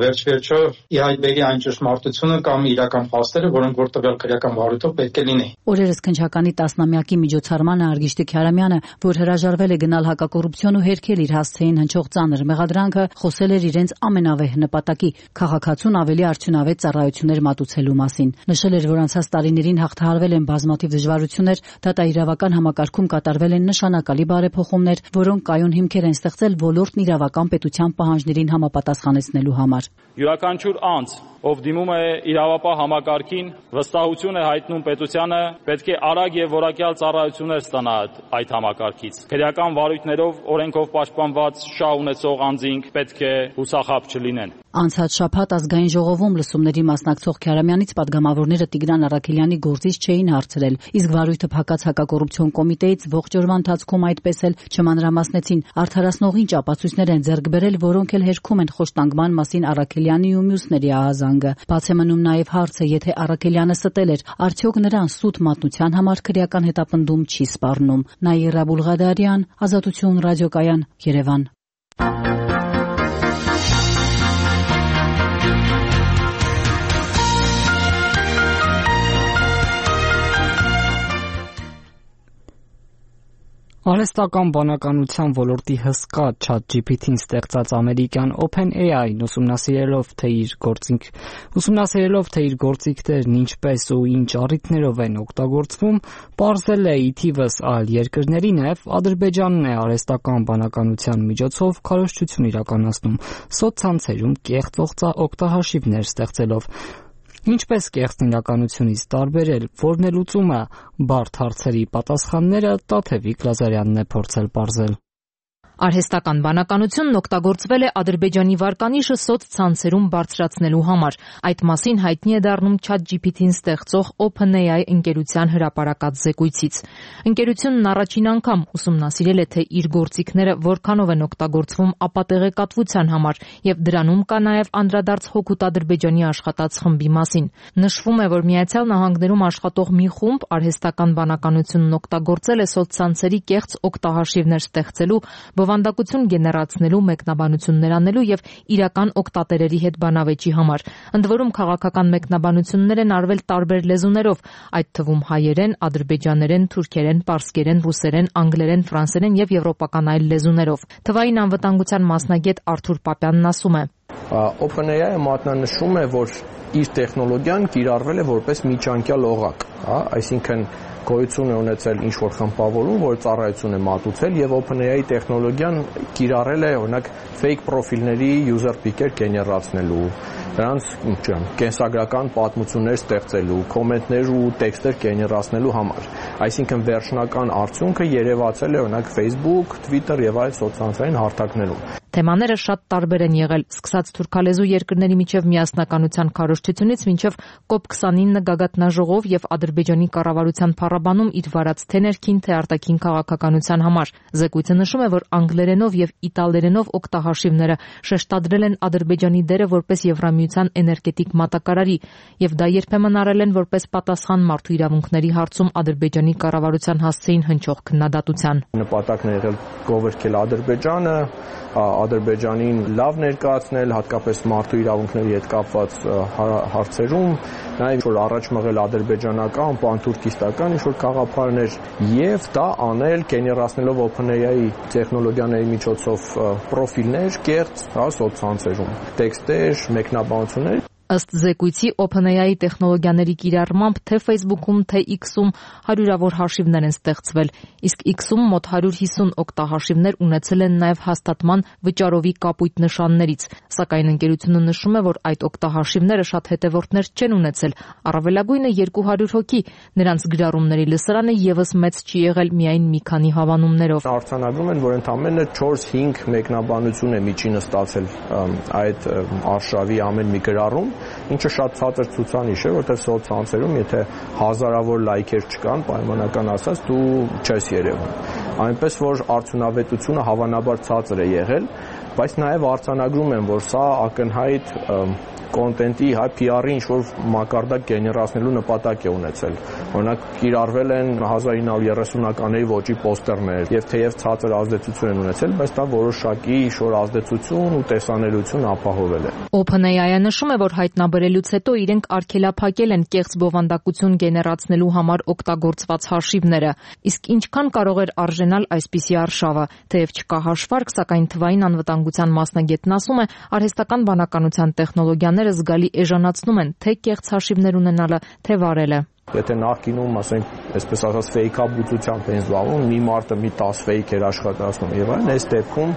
վերջ-վերջո ի հայտ բերի այն ճշմարտությունը կամ իրական փաստերը, որոնք որ տվյալ քրեական վարույթով պետք է լինեն։ Օրերս քննչականի տասնամյակի միջոցառմանը Արգիշտի Քյարամյանը, որ հրաժարվել է գնալ հակակոռուպցիոն ու հերքել իր հասցեին հնչող ծանր մեղադրանքը, խոսել էր իրենց ամենավեհ նպատակի՝ քաղաքացուն ավելի արդյունավետ ծառայություններ մատուցելու մասին։ Նշել էր, որ անցած տարիներին հաղթահարվել են բազմաթիվ դժվարություններ, դատաիրավական համակարգում կատարվել են նշանակալի բարեփոխումներ, որոնք կայուն հիմքեր են ստեղծել ոլորտն իրավական պետության պահանջներին համապատասխանեցնելու համար։ Յուրաքանչյուր անձ, ով դիմում է իրավապահ համակարգին, վստահություն է հայտնում պետությանը, պետք է արագ եւ որակյալ ծառայություններ ստանա այդ համակարգից։ Քրեական վարույթներով, օրենքով պաշտպանված շահ ունեցող անձինք պետք է հուսախաբ չլինեն։ Անցած շաբաթ ազգային ժողովում լսումների մասնակցող Քյարամյանից պատգամավորները Տիգրան Առաքելյանի գործից չէին հարցրել, իսկ վարույթը փակած հակակոռուպցիոն կոմիտեից ողջ օրվա ընթացքում այդպես էլ չմանրամասնեցին, արդարացնող ինչ ապացույցներ են ձեռք բերել, որոնք էլ հերքում են խոշտանգման մասին Առաքելյանի ու մյուսների ահազանգը։ Բաց է մնում նաև հարցը, եթե Առաքելյանը ստել էր, արդյոք նրան սուտ մատնության համար քրեական հետապնդում չի սպառնում։ Նաիրա Բուլղադարյան, Ազատություն ռադիոկայան, Երևան։ Արհեստական բանականության ոլորտի հսկա ChatGPT-ին ստեղծած ամերիկյան OpenAI-ն ուսումնասիրելով թե իր գործիք ուսումնասիրելով թե իր գործիքներն ինչպես ու ինչ առիթներով են օգտագործվում, պարզել է ի թիվս այլ երկրների նաև Ադրբեջանն է արհեստական բանականության միջոցով քարոզչություն իրականացնում սոցցանցերում կեղծ օգտահաշիվներ ստեղծելով։ Ինչպես կեղծն իրականությունից տարբերել, որն է լուծումը, բարդ հարցերի պատասխանները Տաթևիկ Լազարյանն է փորձել պարզել։ Արհեստական բանականությունն օգտագործվել է Ադրբեջանի վարկանիշը սոցցանցերում բարձրացնելու համար։ Այդ մասին հայտնի է դառնում ChatGPT-ին ստեղծող OpenAI ընկերության հրապարակած զեկույցից։ Ընկերությունն առաջին անգամ ուսումնասիրել է, թե իր գործիքները որքանով են օգտագործվում ապատեղեկատվության համար, եւ դրանում կա նաեւ անդրադարձ հօգուտ Ադրբեջանի աշխատած խմբի մասին։ Նշվում է, որ Միացյալ Նահանգներում աշխատող մի խումբ արհեստական բանականությունն օգտագործել է սոցցանցերի կեղծ օգտահաշիվներ ստեղծելու, բովանդակություն գեներացնելու, մեկնաբանություններ անելու եւ իրական օգտատերերի հետ բանավեճի համար։ Ընդ որում քաղաքական մեկնաբանություններ են արվել տարբեր լեզուներով, այդ թվում հայերեն, ադրբեջաներեն, թուրքերեն, պարսկերեն, ռուսերեն, անգլերեն, ֆրանսերեն եւ եվրոպական այլ լեզուներով։ Թվային անվտանգության մասնագետ Արթուր Պապյանն ասում է. OpenAI-ը մատնանշում է, որ իր տեխնոլոգիան կիրառվել է որպես միջանկյալ օղակ, հա, այսինքն գոյություն է ունեցել ինչ-որ խմբավորում, որ ծառայություն է մատուցել եւ OpenAI տեխնոլոգիան կիրառել է օրինակ fake պրոֆիլների user picker գեներացնելու, դրանց կենսագրական պատմություններ ստեղծելու, կոմենտներ ու տեքստեր գեներացնելու համար։ Այսինքն վերջնական արդյունքը երևացել է օրինակ Facebook, Twitter եւ այլ սոցցանցային հարթակներում։ Թեմաները շատ տարբեր են եղել, սկսած թուրքալեզու երկրների միջև միասնականության քարոզչությունից մինչև կոպ քսանինը գագաթնաժողով եւ Ադրբեջանի կառավարության փառաբանում իր վարած թե ներքին, թե արտաքին քաղաքականության համար։ Զեկույցը նշում է, որ անգլերենով եւ իտալերենով օգտահաշիվները շեշտադրել են Ադրբեջանի դերը որպես Եվրամիության էներգետիկ մատակարարի եւ դա երբեմն արել են որպես պատասխան մարդու իրավունքների հարցում Ադրբեջանի կառավարության հասցեին հնչող քննադատության։ Նպատակն է եղել գովերքել Ադրբեջանը, Ադրբեջանին լավ ներկայացնել, հատկապես մարդու իրավունքների հետ կապված հարցերում, նաև որ առաջ մղել ադրբեջանական, պանթուրքիստական ինչ-որ գաղափարներ եւ դա անել գեներացնելով OpenAI տեխնոլոգիաների միջոցով պրոֆիլներ կեղծ, հա, սոցցանցերում, տեքստեր, մեկնաբանություններ։ Ըստ զեկույցի OpenAI տեխնոլոգիաների կիրառմամբ թե Facebook-ում, թե X-ում հարյուրավոր հաշիվներ են ստեղծվել, իսկ X-ում մոտ հարյուր հիսուն օգտահաշիվներ ունեցել են նաև հաստատման վճարովի կապույտ նշաններից, սակայն ընկերությունը նշում է, որ այդ օգտահաշիվները շատ հետևորդներ չեն ունեցել, առավելագույնը երկու հարյուր հոգի, նրանց գրառումների լսարանը եւս մեծ չի եղել միայն մի քանի հավանումներով։ Արձանագրում են, որ ընդամենը չորս-հինգ մեկնաբանություն է միջինը ստացել այդ արշավի ամեն մի գրառում, ինչը շատ ցածր ցուցանիշ է, որտեղ սոցցանցերում եթե հազարավոր լայքեր չկան, պայմանական ասած, դու չես երևում։ Այնպես որ արդյունավետությունը հավանաբար ցածր է եղել, բայց նաև արձանագրում են, որ սա ակնհայտ կոնտենտի, հայ P R-ի ինչ-որ մակարդակ գեներացնելու նպատակ է ունեցել։ Օրինակ կիրառվել են հազար ինը հարյուր երեսունականների ոճի պոստերներ եւ թեև ցածր ազդեցություն են ունեցել, բայց դա որոշակի ինչ-որ ազդեցություն ու տեսանելիություն ապահովել է։ OpenAI-ը նշում է, որ հայտնաբերելուց հետո իրենք արգելափակել են կեղծ բովանդակություն գեներացնելու համար օգտագործված հաշիվները, իսկ ինչքան կարող էր արժենալ այսպիսի արշավը, թեև չկա հաշվարկ, սակայն թվային անվտանգության մասնագետն ասում է, արհեստական բանականության տեխնոլոգիաները զգալի էժանացնում են թե կեղծ հաշիվներ ունենալը, թե վարելը։ Եթե նախկինում, ասենք, այսպես ասած ֆեյքաբուծությամբ են զբաղվում, մի մարդը մի տասը ֆեյք էր աշխատացնում եւ այլն, այս դեպքում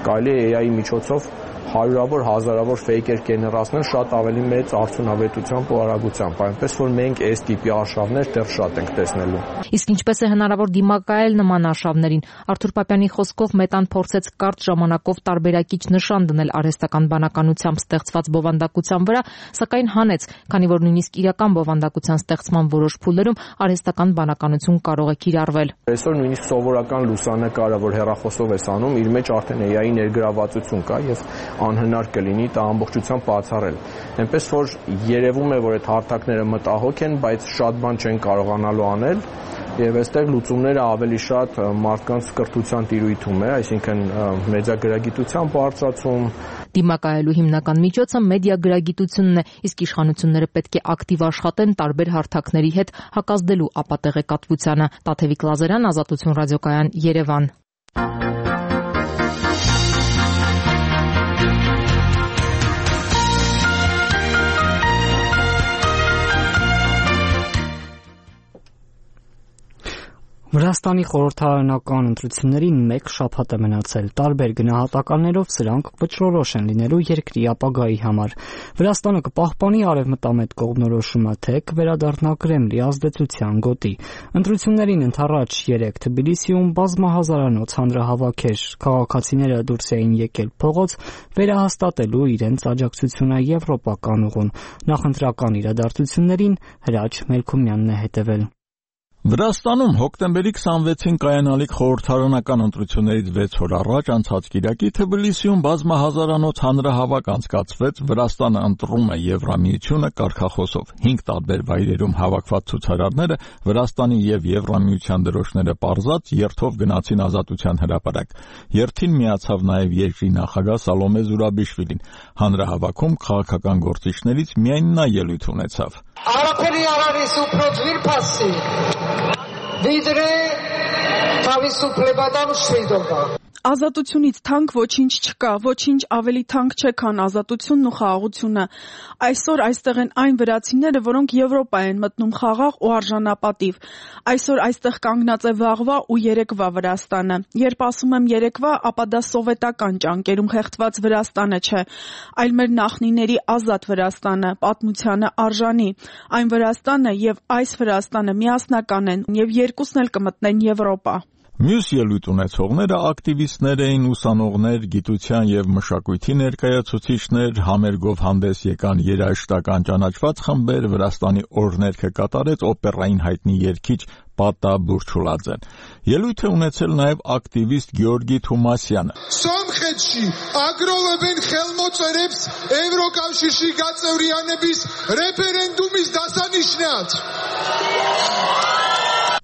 կարելի է A I-ի միջոցով հարյուրավոր, հազարավոր ֆեյքեր գեներացնել շատ ավելի մեծ արդյունավետությամբ ու արագությամբ, այնպես որ մենք այս տիպի արշավներ դեռ շատ ենք տեսնելու։ Իսկ ինչպես է հնարավոր դիմակայել նման արշավներին։ Արթուր Պապյանի խոսքով Մետան փորձեց կարճ ժամանակով տարբերակիչ նշան դնել արհեստական բանականությամբ ստեղծված բովանդակության վրա, սակայն հանեց, քանի որ նույնիսկ իրական բովանդակության ստեղծման որոշ փուլերում արհեստական բանականություն կարող է կիրառվել։ Այսօր նույնիսկ սովորական լուսանկարը, որ հեռախոսով ես անում, իր մեջ արդեն A I-ի ներգրավվածություն կա եւ անհնար կլինի դա ամբողջությամբ բացառել։ Այնպես որ երևում է, որ այդ հարթակները մտահոգ են, բայց շատ բան չեն կարողանալու անել եւ այստեղ լուծումները ավելի շատ մարդկանց կրթության տիրույթում է, այսինքն մեդիագրագիտության բարձրացում։ Դիմակայելու հիմնական միջոցը մեդիագրագիտությունն է, իսկ իշխանությունները պետք է ակտիվ աշխատեն տարբեր հարթակների հետ հակազդելու ապատեղեկատվությանը։ Տաթևիկ Լազարյան, Ազատություն ռադիոկայան, Երևան։ Վրաստանի խորհրդարանական ընտրություններին մեկ շաբաթ է մնացել։ Տարբեր գնահատականներով սրանք վճռորոշ են լինելու երկրի ապագայի համար։ Վրաստանը կպահպանի արևմտամետ կողմնորոշումը, թե կվերադառնա Կրեմլի ազդեցության գոտի։ Ընտրություններին ընդառաջ երեկ Թբիլիսիում բազմահազարանոց հանրահավաքեր, քաղաքացիները դուրս էին եկել փողոց վերահաստատելու իրենց աջակցությունը եվրոպական ուղուն։ Նախընտրական իրադարձություններին Հրաչ Մելքումյանն է հետևել։ Վրաստանում հոկտեմբերի քսանվեցին կայանալիք խորհրդարանական ընտրություններից վեց օր առաջ անցած կիրակի Թբիլիսիում բազմահազարանոց հանրահավաք անցկացվեց «Վրաստանը ընտրում է Եվրամիությունը» կարգախոսով։ Հինգ տարբեր վայրերում հավաքված ցուցարարները Վրաստանի եւ Եվրամիության դրոշները պարզած երթով գնացին Ազատության հրապարակ։ Երթին միացավ նաեւ երկրի նախագահ Սալոմե Զուրաբիշվիլին։ Հանրահավաքում քաղաքական գործիչներից միայն նա ելույթ ունեցավ։ Արաբելի արարիս ու պրոձվիր պասի Վիդրե թավիսու պլեբադան շվիդովա Ազատությունից թանկ ոչինչ չկա, ոչինչ ավելի թանկ չէ, քան ազատությունն ու խաղաղությունը։ Այսօր այստեղ են այն վրացիները, որոնք Եվրոպա են մտնում խաղաղ ու արժանապատիվ։ Այսօր այստեղ կանգնած է վաղվա ու երեկվա Վրաստանը։ Երբ ասում եմ երեկվա, ապա դա սովետական ճանկերում խեղդված Վրաստանը չէ, այլ մեր նախնիների ազատ Վրաստանը, պատմությանը արժանի։ Այն Վրաստանը եւ այս Վրաստանը միասնական են եւ երկուսն էլ կմտնեն Եվրոպա։ Մյուս ելույթ ունեցողները ակտիվիստներ էին, ուսանողներ, գիտության եւ մշակույթի ներկայացուցիչներ, համերգով հանդես եկան երաժշտական ճանաչված խմբեր, Վրաստանի օրհներգը կատարեց օպերային հայտնի երգիչ Պատա Բուրչուլաձեն։ Ելույթ է ունեցել նաեւ ակտիվիստ Գեորգի Թումասյանը։ Սոմխեչի ագրովեն խելմոծերებს Եվրոկავშირի գածեვრիանեբիս ռեֆերենդումից դասանիշնած։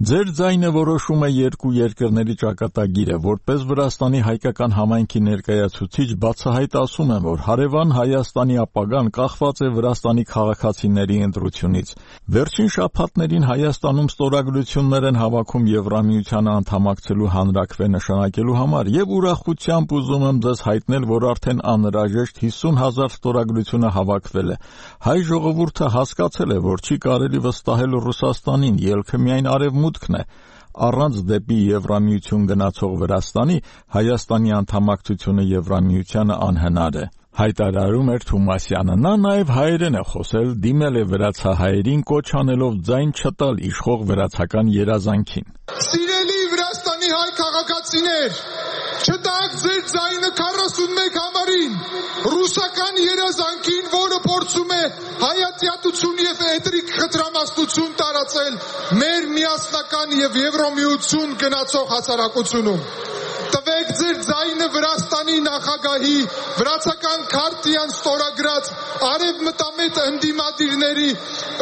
Ձեր ձայնը որոշում է երկու երկրների ճակատագիրը, որպես Վրաստանի հայկական համայնքի ներկայացուցիչ բացահայտ ասում եմ, որ հարևան Հայաստանի ապագան կախված է Վրաստանի քաղաքացիների ընտրությունից։ Վերջին շաբաթներին Հայաստանում ստորագրություններ են հավաքում Եվրամիությանը անդամակցելու հանրաքվե նշանակելու համար եւ ուրախությամբ ուզում եմ ձեզ հայտնել, որ արդեն անհրաժեշտ հիսուն հազար ստորագրությունը հավաքվել է։ Հայ ժողովուրդը հասկացել է, որ չի կարելի վստահել Ռուսաստանին, ելքը միայն արևմուտքն է։ Առանց դեպի Եվրամիություն գնացող Վրաստանի Հայաստանի անդամակցությունը Եվրամիությանը անհնար է։ Հայտարարում էր Թումասյանը։ Նա նաև հայերեն է խոսել, դիմել է վրացահայերին կոչ անելով ձայն չտալ իշխող վրացական երազանքին։ Սիրելի Վրաստանի հայ քաղաքացիներ, չտաք ձեր ձայնը քառասունմեկ համարին, ռուսական երազանքին, որը փորձում է հայատյատություն եւ էթնիկ խտրամասնություն տարածել մեր միասնական եւ Եվրոմիություն գնացող հասարակությունում։ Տվեք ձեր ձայնը Վրաստանի նախագահի վրացական քարտիան ստորագրած արևմտամետ ընդդիմադիրների,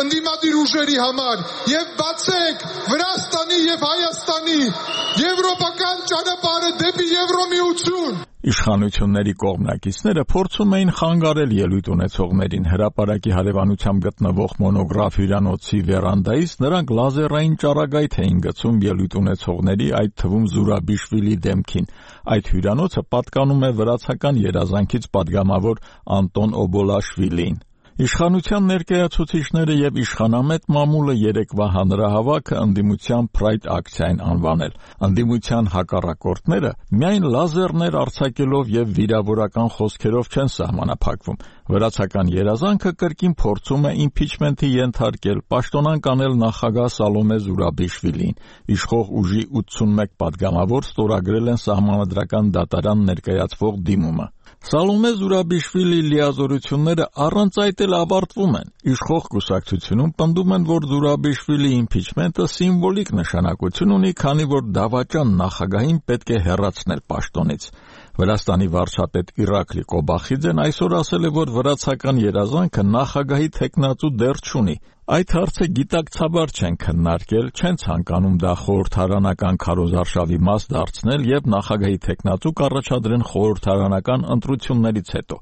ընդդիմադիր ուժերի համար եւ բացեք Վրաստանի եւ Հայաստանի եվրոպական ճանապարհը դեպի Եվրոմիություն։ Իշխանությունների կողմնակիցները փորձում էին խանգարել ելույթ ունեցողներին հրապարակի հարևանությամբ գտնվող մոնոգրաֆ հյուրանոցի վերանդայից նրանք լազերային ճառագայթ էին գցում ելույթ ունեցողների, այդ թվում Զուրաբիշվիլի դեմքին։ Այդ հյուրանոցը պատկանում է վրացական երազանքից պատգամավոր Անտոն Օբոլաշվիլիին։ Իշխանության ներկայացուցիչները եւ իշխանամետ մամուլը երեկվա հանրահավաքը ընդդիմության Pride ակցիա են անվանել։ Ընդդիմության հակառակորդները միայն լազերներ արձակելով եւ վիրավորական խոսքերով չեն սահմանափակվում։ Վրացական երազանքը կրկին փորձում է իմպիչմենթի ենթարկել, պաշտոնանկ անել նախագահ Սալոմե Զուրաբիշվիլին։ Իշխող ուժի ութսունմեկ պատգամավոր ստորագրել են սահմանադրական դատարան ներկայացվող դիմումը։ Սալոմե Զուրաբիշվիլի լիազորությունները առանց այդ էլ ավարտվում են։ Իշխող կուսակցությունում պնդում են, որ Զուրաբիշվիլի իմպիչմենտը սիմվոլիկ նշանակություն ունի, քանի որ դավաճան նախագահին պետք է հեռացնել պաշտոնից։ Վրաստանի վարչապետ Իրակլի Կոբախիձեն այսօր ասել է, որ վրացական երազանքը նախագահի թեկնածու դեռ չունի։ Այդ հարցը գիտակցաբար չեն քննարկել, չեն ցանկանում դա խորհրդարանական քարոզարշավի մաս դարձնել եւ նախագահի թեկնածու կառաջադրեն խորհրդարանական ընտրություններից հետո։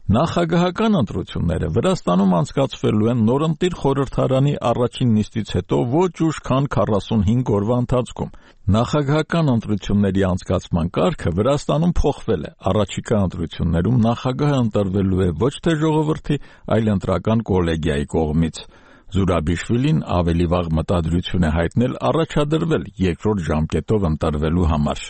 Նախագահական ընտրությունները Վրաստանում անցկացվելու են նորընտիր խորհրդարանի առաջին նիստից հետո ոչ ուշ քան քառասունհինգ օրվա ընթացքում։ Նախագահական ընտրությունների անցկացման կարգը Վրաստանում փոխվել է։ Առաջիկա ընտրություններում նախագահը ընտրվելու է ոչ թե ժողովրդի, այլ ընտրական կոլեգիայի կողմից։ Զուրաբիշվիլին ավելի վաղ մտադրություն է հայտնել առաջադրվել երկրորդ ժամկետով ընտրվելու համար։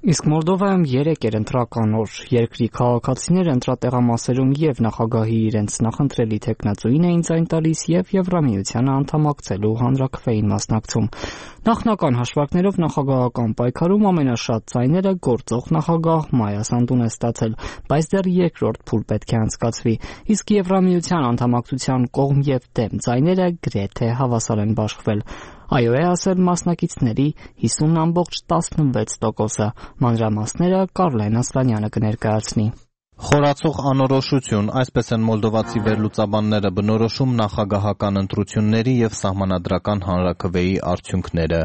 Իսկ Մոլդովայում երեկ էր ընտրական օր։ Երկրի քաղաքացիները ընտրատեղամասերում եւ նախագահի իրենց նախընտրելի թեկնածուին էին ձայն տալիս եւ Եվրամիությանը անդամակցելու հանրաքվեին մասնակցում։ Նախնական հաշվարկներով նախագահական պայքարում ամենաշատ ձայները գործող նախագահ Մայա Սանդուն է ստացել, բայց դեռ երկրորդ փուլ պետք է անցկացվի, իսկ Եվրամիության անդամակցության կողմ եւ դեմ ձայները գրեթե հավասար են բաշխվել։ Այո է ասել մասնակիցների հիսուն ամբողջ տասնվեց տոկոսը։ Մանրամասները Կարլեն Ասլանյանը կներկայացնի։ Խորացող անորոշություն, այսպես են մոլդովացի վերլուծաբանները բնորոշում նախագահական ընտրությունների եւ սահմանադրական հանրաքվեի արդյունքները։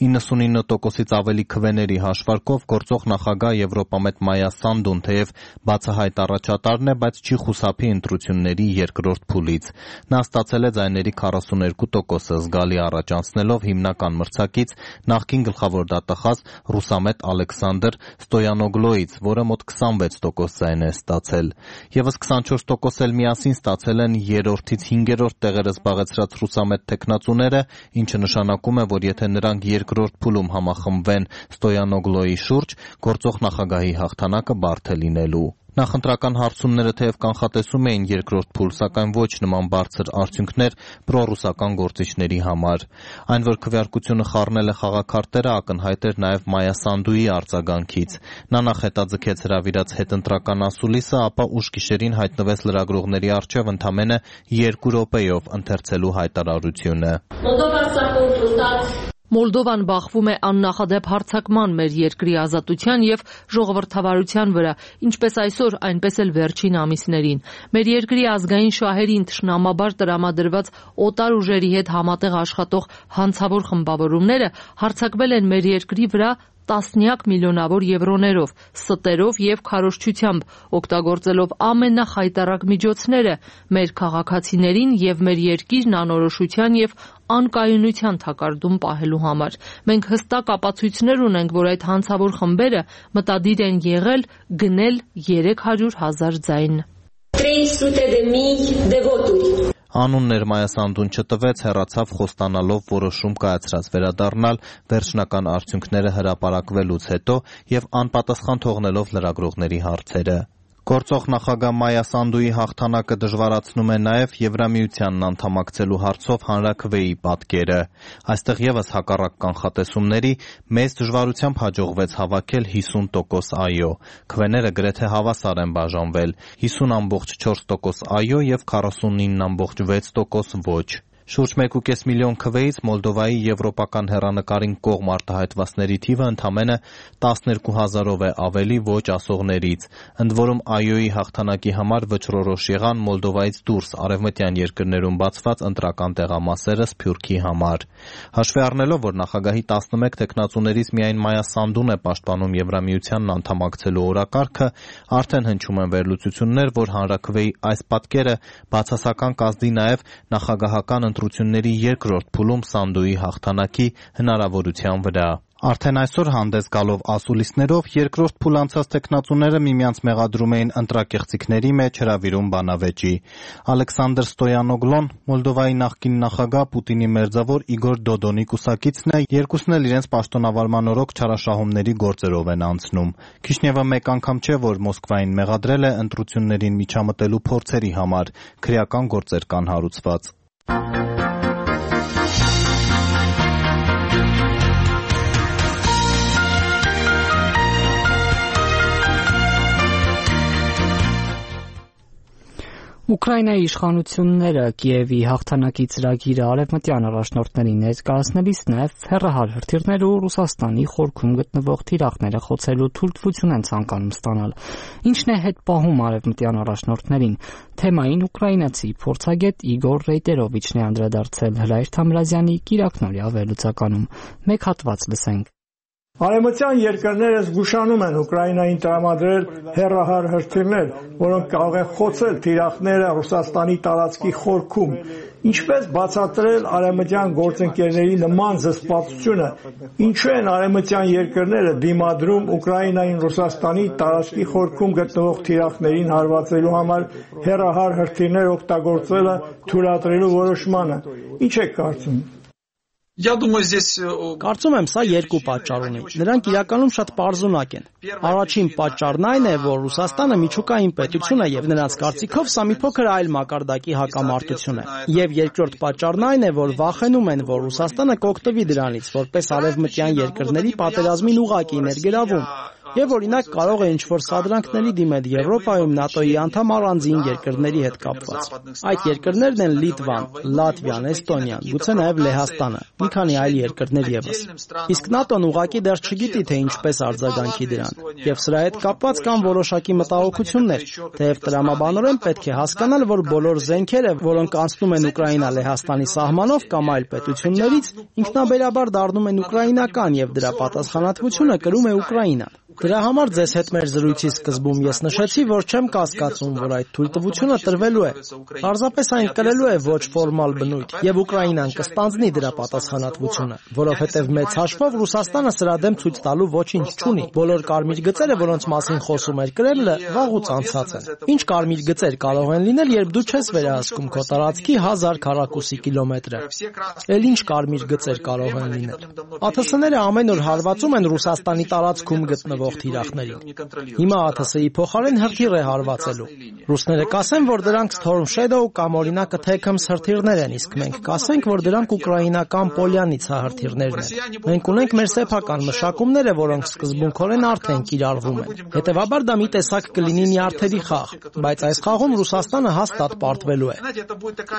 իննսունինը տոկոսից ավելի քվեների հաշվարկով գործող նախագահ Եվրոպամետ Մայա Սանդուն թեև բացահայտ առաջատարն է, բայց չի խուսափի ընտրությունների երկրորդ փուլից։ Նա ստացել է ձայների քառասուներկու տոկոսը, զգալի առաջ անցնելով հիմնական մրցակից նախկին գլխավոր դատախազ ռուսամետ Ալեքսանդր Ստոյանոգլոից, որը մոտ քսանվեց տոկոս ձայն է ստացել։ Եվս քսանչորս տոկոս էլ միասին ստացել են երրորդից հինգերորդ տեղերը զբաղեցրած ռուսամետ թեկնածուները, ինչը նշանակում է, որ եթե նրանք երկրորդ փուլում համախմբվեն Ստոյանոգլոյի շուրջ, գործող նախագահի հաղթանակը բարդ է լինելու։ Նախընտրական հարցումները թեև կանխատեսում էին երկրորդ փուլ, սակայն ոչ նման բարձր արդյունքներ պրոռուսական գործիչների համար։ Այն, որ քվեարկությունը խառնել է խաղաքարտերը, ակնհայտ էր նաև Մայա Սանդուի արձագանքից։ Նա նախ հետաձգեց հրավիրած հետընտրական ասուլիսը, ապա ուշ գիշերին հայտնվեց լրագրողների առջև ընդամենը երկու րոպեով ընթերցելու հայտարարությունը։ Մոլդովան բախվում է աննախադեպ հարձակման մեր երկրի ազատության եւ ժողովրդավարության վրա, ինչպես այսօր, այնպես էլ վերջին ամիսներին։ Մեր երկրի ազգային շահերին թշնամաբար տրամադրված օտար ուժերի հետ համատեղ աշխատող հանցավոր խմբավորումները հարձակվել են մեր երկրի վրա տասնյակ միլիոնավոր եվրոներով, ստերով եւ քարոզչությամբ, օգտագործելով ամենախայտառակ միջոցները մեր քաղաքացիներին եւ մեր երկիրն անորոշության եւ անկայունության թակարդում պահելու համար։ Մենք հստակ ապացույցներ ունենք, որ այդ հանցավոր խմբերը մտադիր են եղել գնել երեք հարյուր հազար ձայն։ Անուններ Մայա Սանդուն չտվեց, հեռացավ խոստանալով որոշում կայացրած վերադառնալ վերջնական արդյունքները հրապարակվելուց հետո եւ անպատասխան թողնելով լրագրողների հարցերը։ Գործող նախագահ Մայա Սանդուի հաղթանակը դժվարացնում է նաև Եվրամիությանն անդամակցելու հարցով հանրաքվեի պատկերը։ Այստեղ ևս հակառակ կանխատեսումների մեծ դժվարությամբ հաջողվեց հավաքել հիսուն տոկոս այո։ Քվեները գրեթե հավասար են բաժանվել՝ հիսուն ամբողջ չորս տոկոս այո եւ քառասունինը ամբողջ վեց տոկոս ոչ։ Շուրջ մեկ ու կես միլիոն քվեից Մոլդովայի եվրոպական հեռանկարին կողմ արտահայտվածների թիվը ընդամենը տասներկու հազարով է ավելի ոչ ասողներից։ Ընդ որում այոյի հաղթանակի համար վճռորոշ եղան Մոլդովայից դուրս արևմտյան երկրներում բացված ընտրական տեղամասերը Սփյուռքի համար։ Հաշվի առնելով, որ նախագահի տասնմեկ թեկնածուներից միայն Մայա Սանդուն է պաշտպանում Եվրամիությանն անդամակցելու օրակարգը, արդեն հնչում են վերլուծություններ, որ հանրաքվեի այս պատկերը բացասական կազդի նաև նախագահական ընտրությունների երկրորդ փուլում Սանդուի հաղթանակի հնարավորության վրա։ Արդեն այսօր հանդես գալով ասուլիսներով երկրորդ փուլ անցած տեխնացուները միմյանց մեղադրում էին ընտրակեղծիքների մեջ հրավիրում բանավեճի։ Ալեքսանդր Ստոյանոգլոն, Մոլդովայի նախկին նախագահ Պուտինի մերձավոր Իգոր Դոդոնի կուսակիցն է, երկուսն էլ իրենց պաշտոնավարման օրոք չարաշահումների գործերով են անցնում։ Քիշնևը մեկ անգամ չէ, որ Մոսկվային մեղադրել է ընտրություններին միջամտելու փորձերի համար, քրեական գործեր կան հարուցված։ Ուկրաինայի իշխանությունները Կիևի հաղթանակի ծրագիրը արևմտյան առաջնորդներին ներկայացնելիս նաև հեռահար հրթիռներ ու Ռուսաստանի խորքում գտնվող թիրախները խոցելու թույլտվություն են ցանկանում ստանալ։ Ինչն է հետ պահում արևմտյան առաջնորդներին։ Թեմային ուկրաինացի փորձագետ Իգոր Ռեյտերովիչն է անդրադարձել Հրայր Թամրազյանի կիրակնօրյա վերլուծականում։ Մեկ հատված լսենք։ Արևմտյան երկրները զգուշանում են Ուկրաինային տրամադրել հեռահար հրթիռներ, որոնք կարող են խոցել թիրախները Ռուսաստանի տարածքի խորքում, ինչպես բացատրել արևմտյան գործընկերների նման զսպվածությունը, ինչու են արևմտյան երկրները դիմադրում Ուկրաինային Ռուսաստանի տարածքի խորքում գտնվող թիրախներին հարվածելու համար հեռահար հրթիռներ օգտագործելը թույլատրելու որոշմանը։ Ինչ եք կարծում։ Կարծում եմ, սա երկու պատճառ ունի։ Նրանք իրականում շատ պարզունակ են։ Առաջին պատճառն այն է, որ Ռուսաստանը միջուկային պետություն է եւ նրանց կարծիքով սա մի փոքր այլ մակարդակի հակամարտություն է։ Եվ երկրորդ պատճառն այն է, որ վախենում են, որ Ռուսաստանը կօգտվի դրանից, որպես արևմտյան երկրների պատերազմին ուղղակի ներգրավում։ Եվ օրինակ կարող է ինչ-որ սադրանքների դիմել Եվրոպայում ՆԱՏՕ-ի անդամ առանձին երկրների հետ կապված։ Այդ երկրներն են Լիտվան, Լատվիան, Էստոնիան, գուցե նաև Լեհաստանը, մի քանի այլ երկրներ ևս։ Իսկ ՆԱՏՕ-ն ուղղակի դեռ չգիտի, թե ինչպես արձագանքի դրան, եւ սրա հետ կապված կան որոշակի մտահոգություններ, թեև տրամաբանորեն պետք է հասկանալ, որ բոլոր զենքերը, որոնք անցնում են Ուկրաինա-Լեհաստանի սահմանով կամ այլ պետություններից, ինքնաբերաբար դառնում են ուկրաինական եւ դրա պատասխանատվությունը կրում է Ուկրաինան։ Դրա համար ձեզ հետ մեր զրույցի սկզբում ես նշեցի, որ չեմ կասկածում, որ այդ թույլտվությունը տրվելու է։ Պարզապես այն կրելու է ոչ ֆորմալ բնույթ, եւ Ուկրաինան կստանձնի դրա պատասխանատվությունը, որովհետեւ մեծ հաշվով Ռուսաստանը սրա դեմ ցույց տալու ոչինչ չունի։ Բոլոր կարմիր գծերը, որոնց մասին խոսում էր Կրեմլը, վաղուց անցած են։ Ինչ կարմիր գծեր կարող են լինել, երբ դու չես վերահսկում քո տարածքի հազար քառակուսի կիլոմետրը։ Էլ ինչ կարմիր գծեր կարող են լինել։ ԱԹՍ-ները ամեն օր հարվածում են Ռուսաստանի տարածքում գտնվող թիրախներին։ Հիմա ԱԹՍ-ի փոխարեն հրթիռ է հարվածելու։ Ռուսները կասեն, որ դրանք Storm Shadow կամ օրինակ Attackams հրթիռներ են, իսկ մենք կասենք, որ դրանք ուկրաինական Polyanitsa հրթիռներն են։ Մենք ունենք մեր սեփական մշակումները, որոնք սկզբունքորեն արդեն կիրառվում են։ Հետևաբար դա մի տեսակ կլինի նյարդերի խաղ, բայց այս խաղում Ռուսաստանը հաստատ պարտվելու է։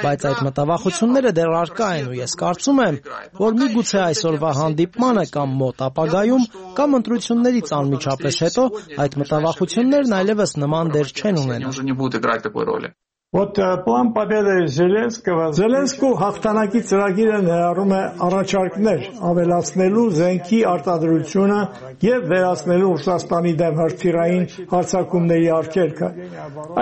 Բայց այդ մտավախությունները դեռ առկա են ու ես կարծում եմ, որ միգուցե այսօրվա հանդիպմանը կամ մոտ ապագայում կամ ընտրություններից անմիջապես հետո այդ մտավախություններն այլևս նման դեր չեն ունենա։ Вот план победы Зеленского Զելենսկու հաղթանակի ծրագիրը ներառում է առաջարկներ ավելացնելու զենքի արտադրությունը եւ վերացնելու Ռուսաստանի դեմ հրթիռային հարձակումների արգելքը։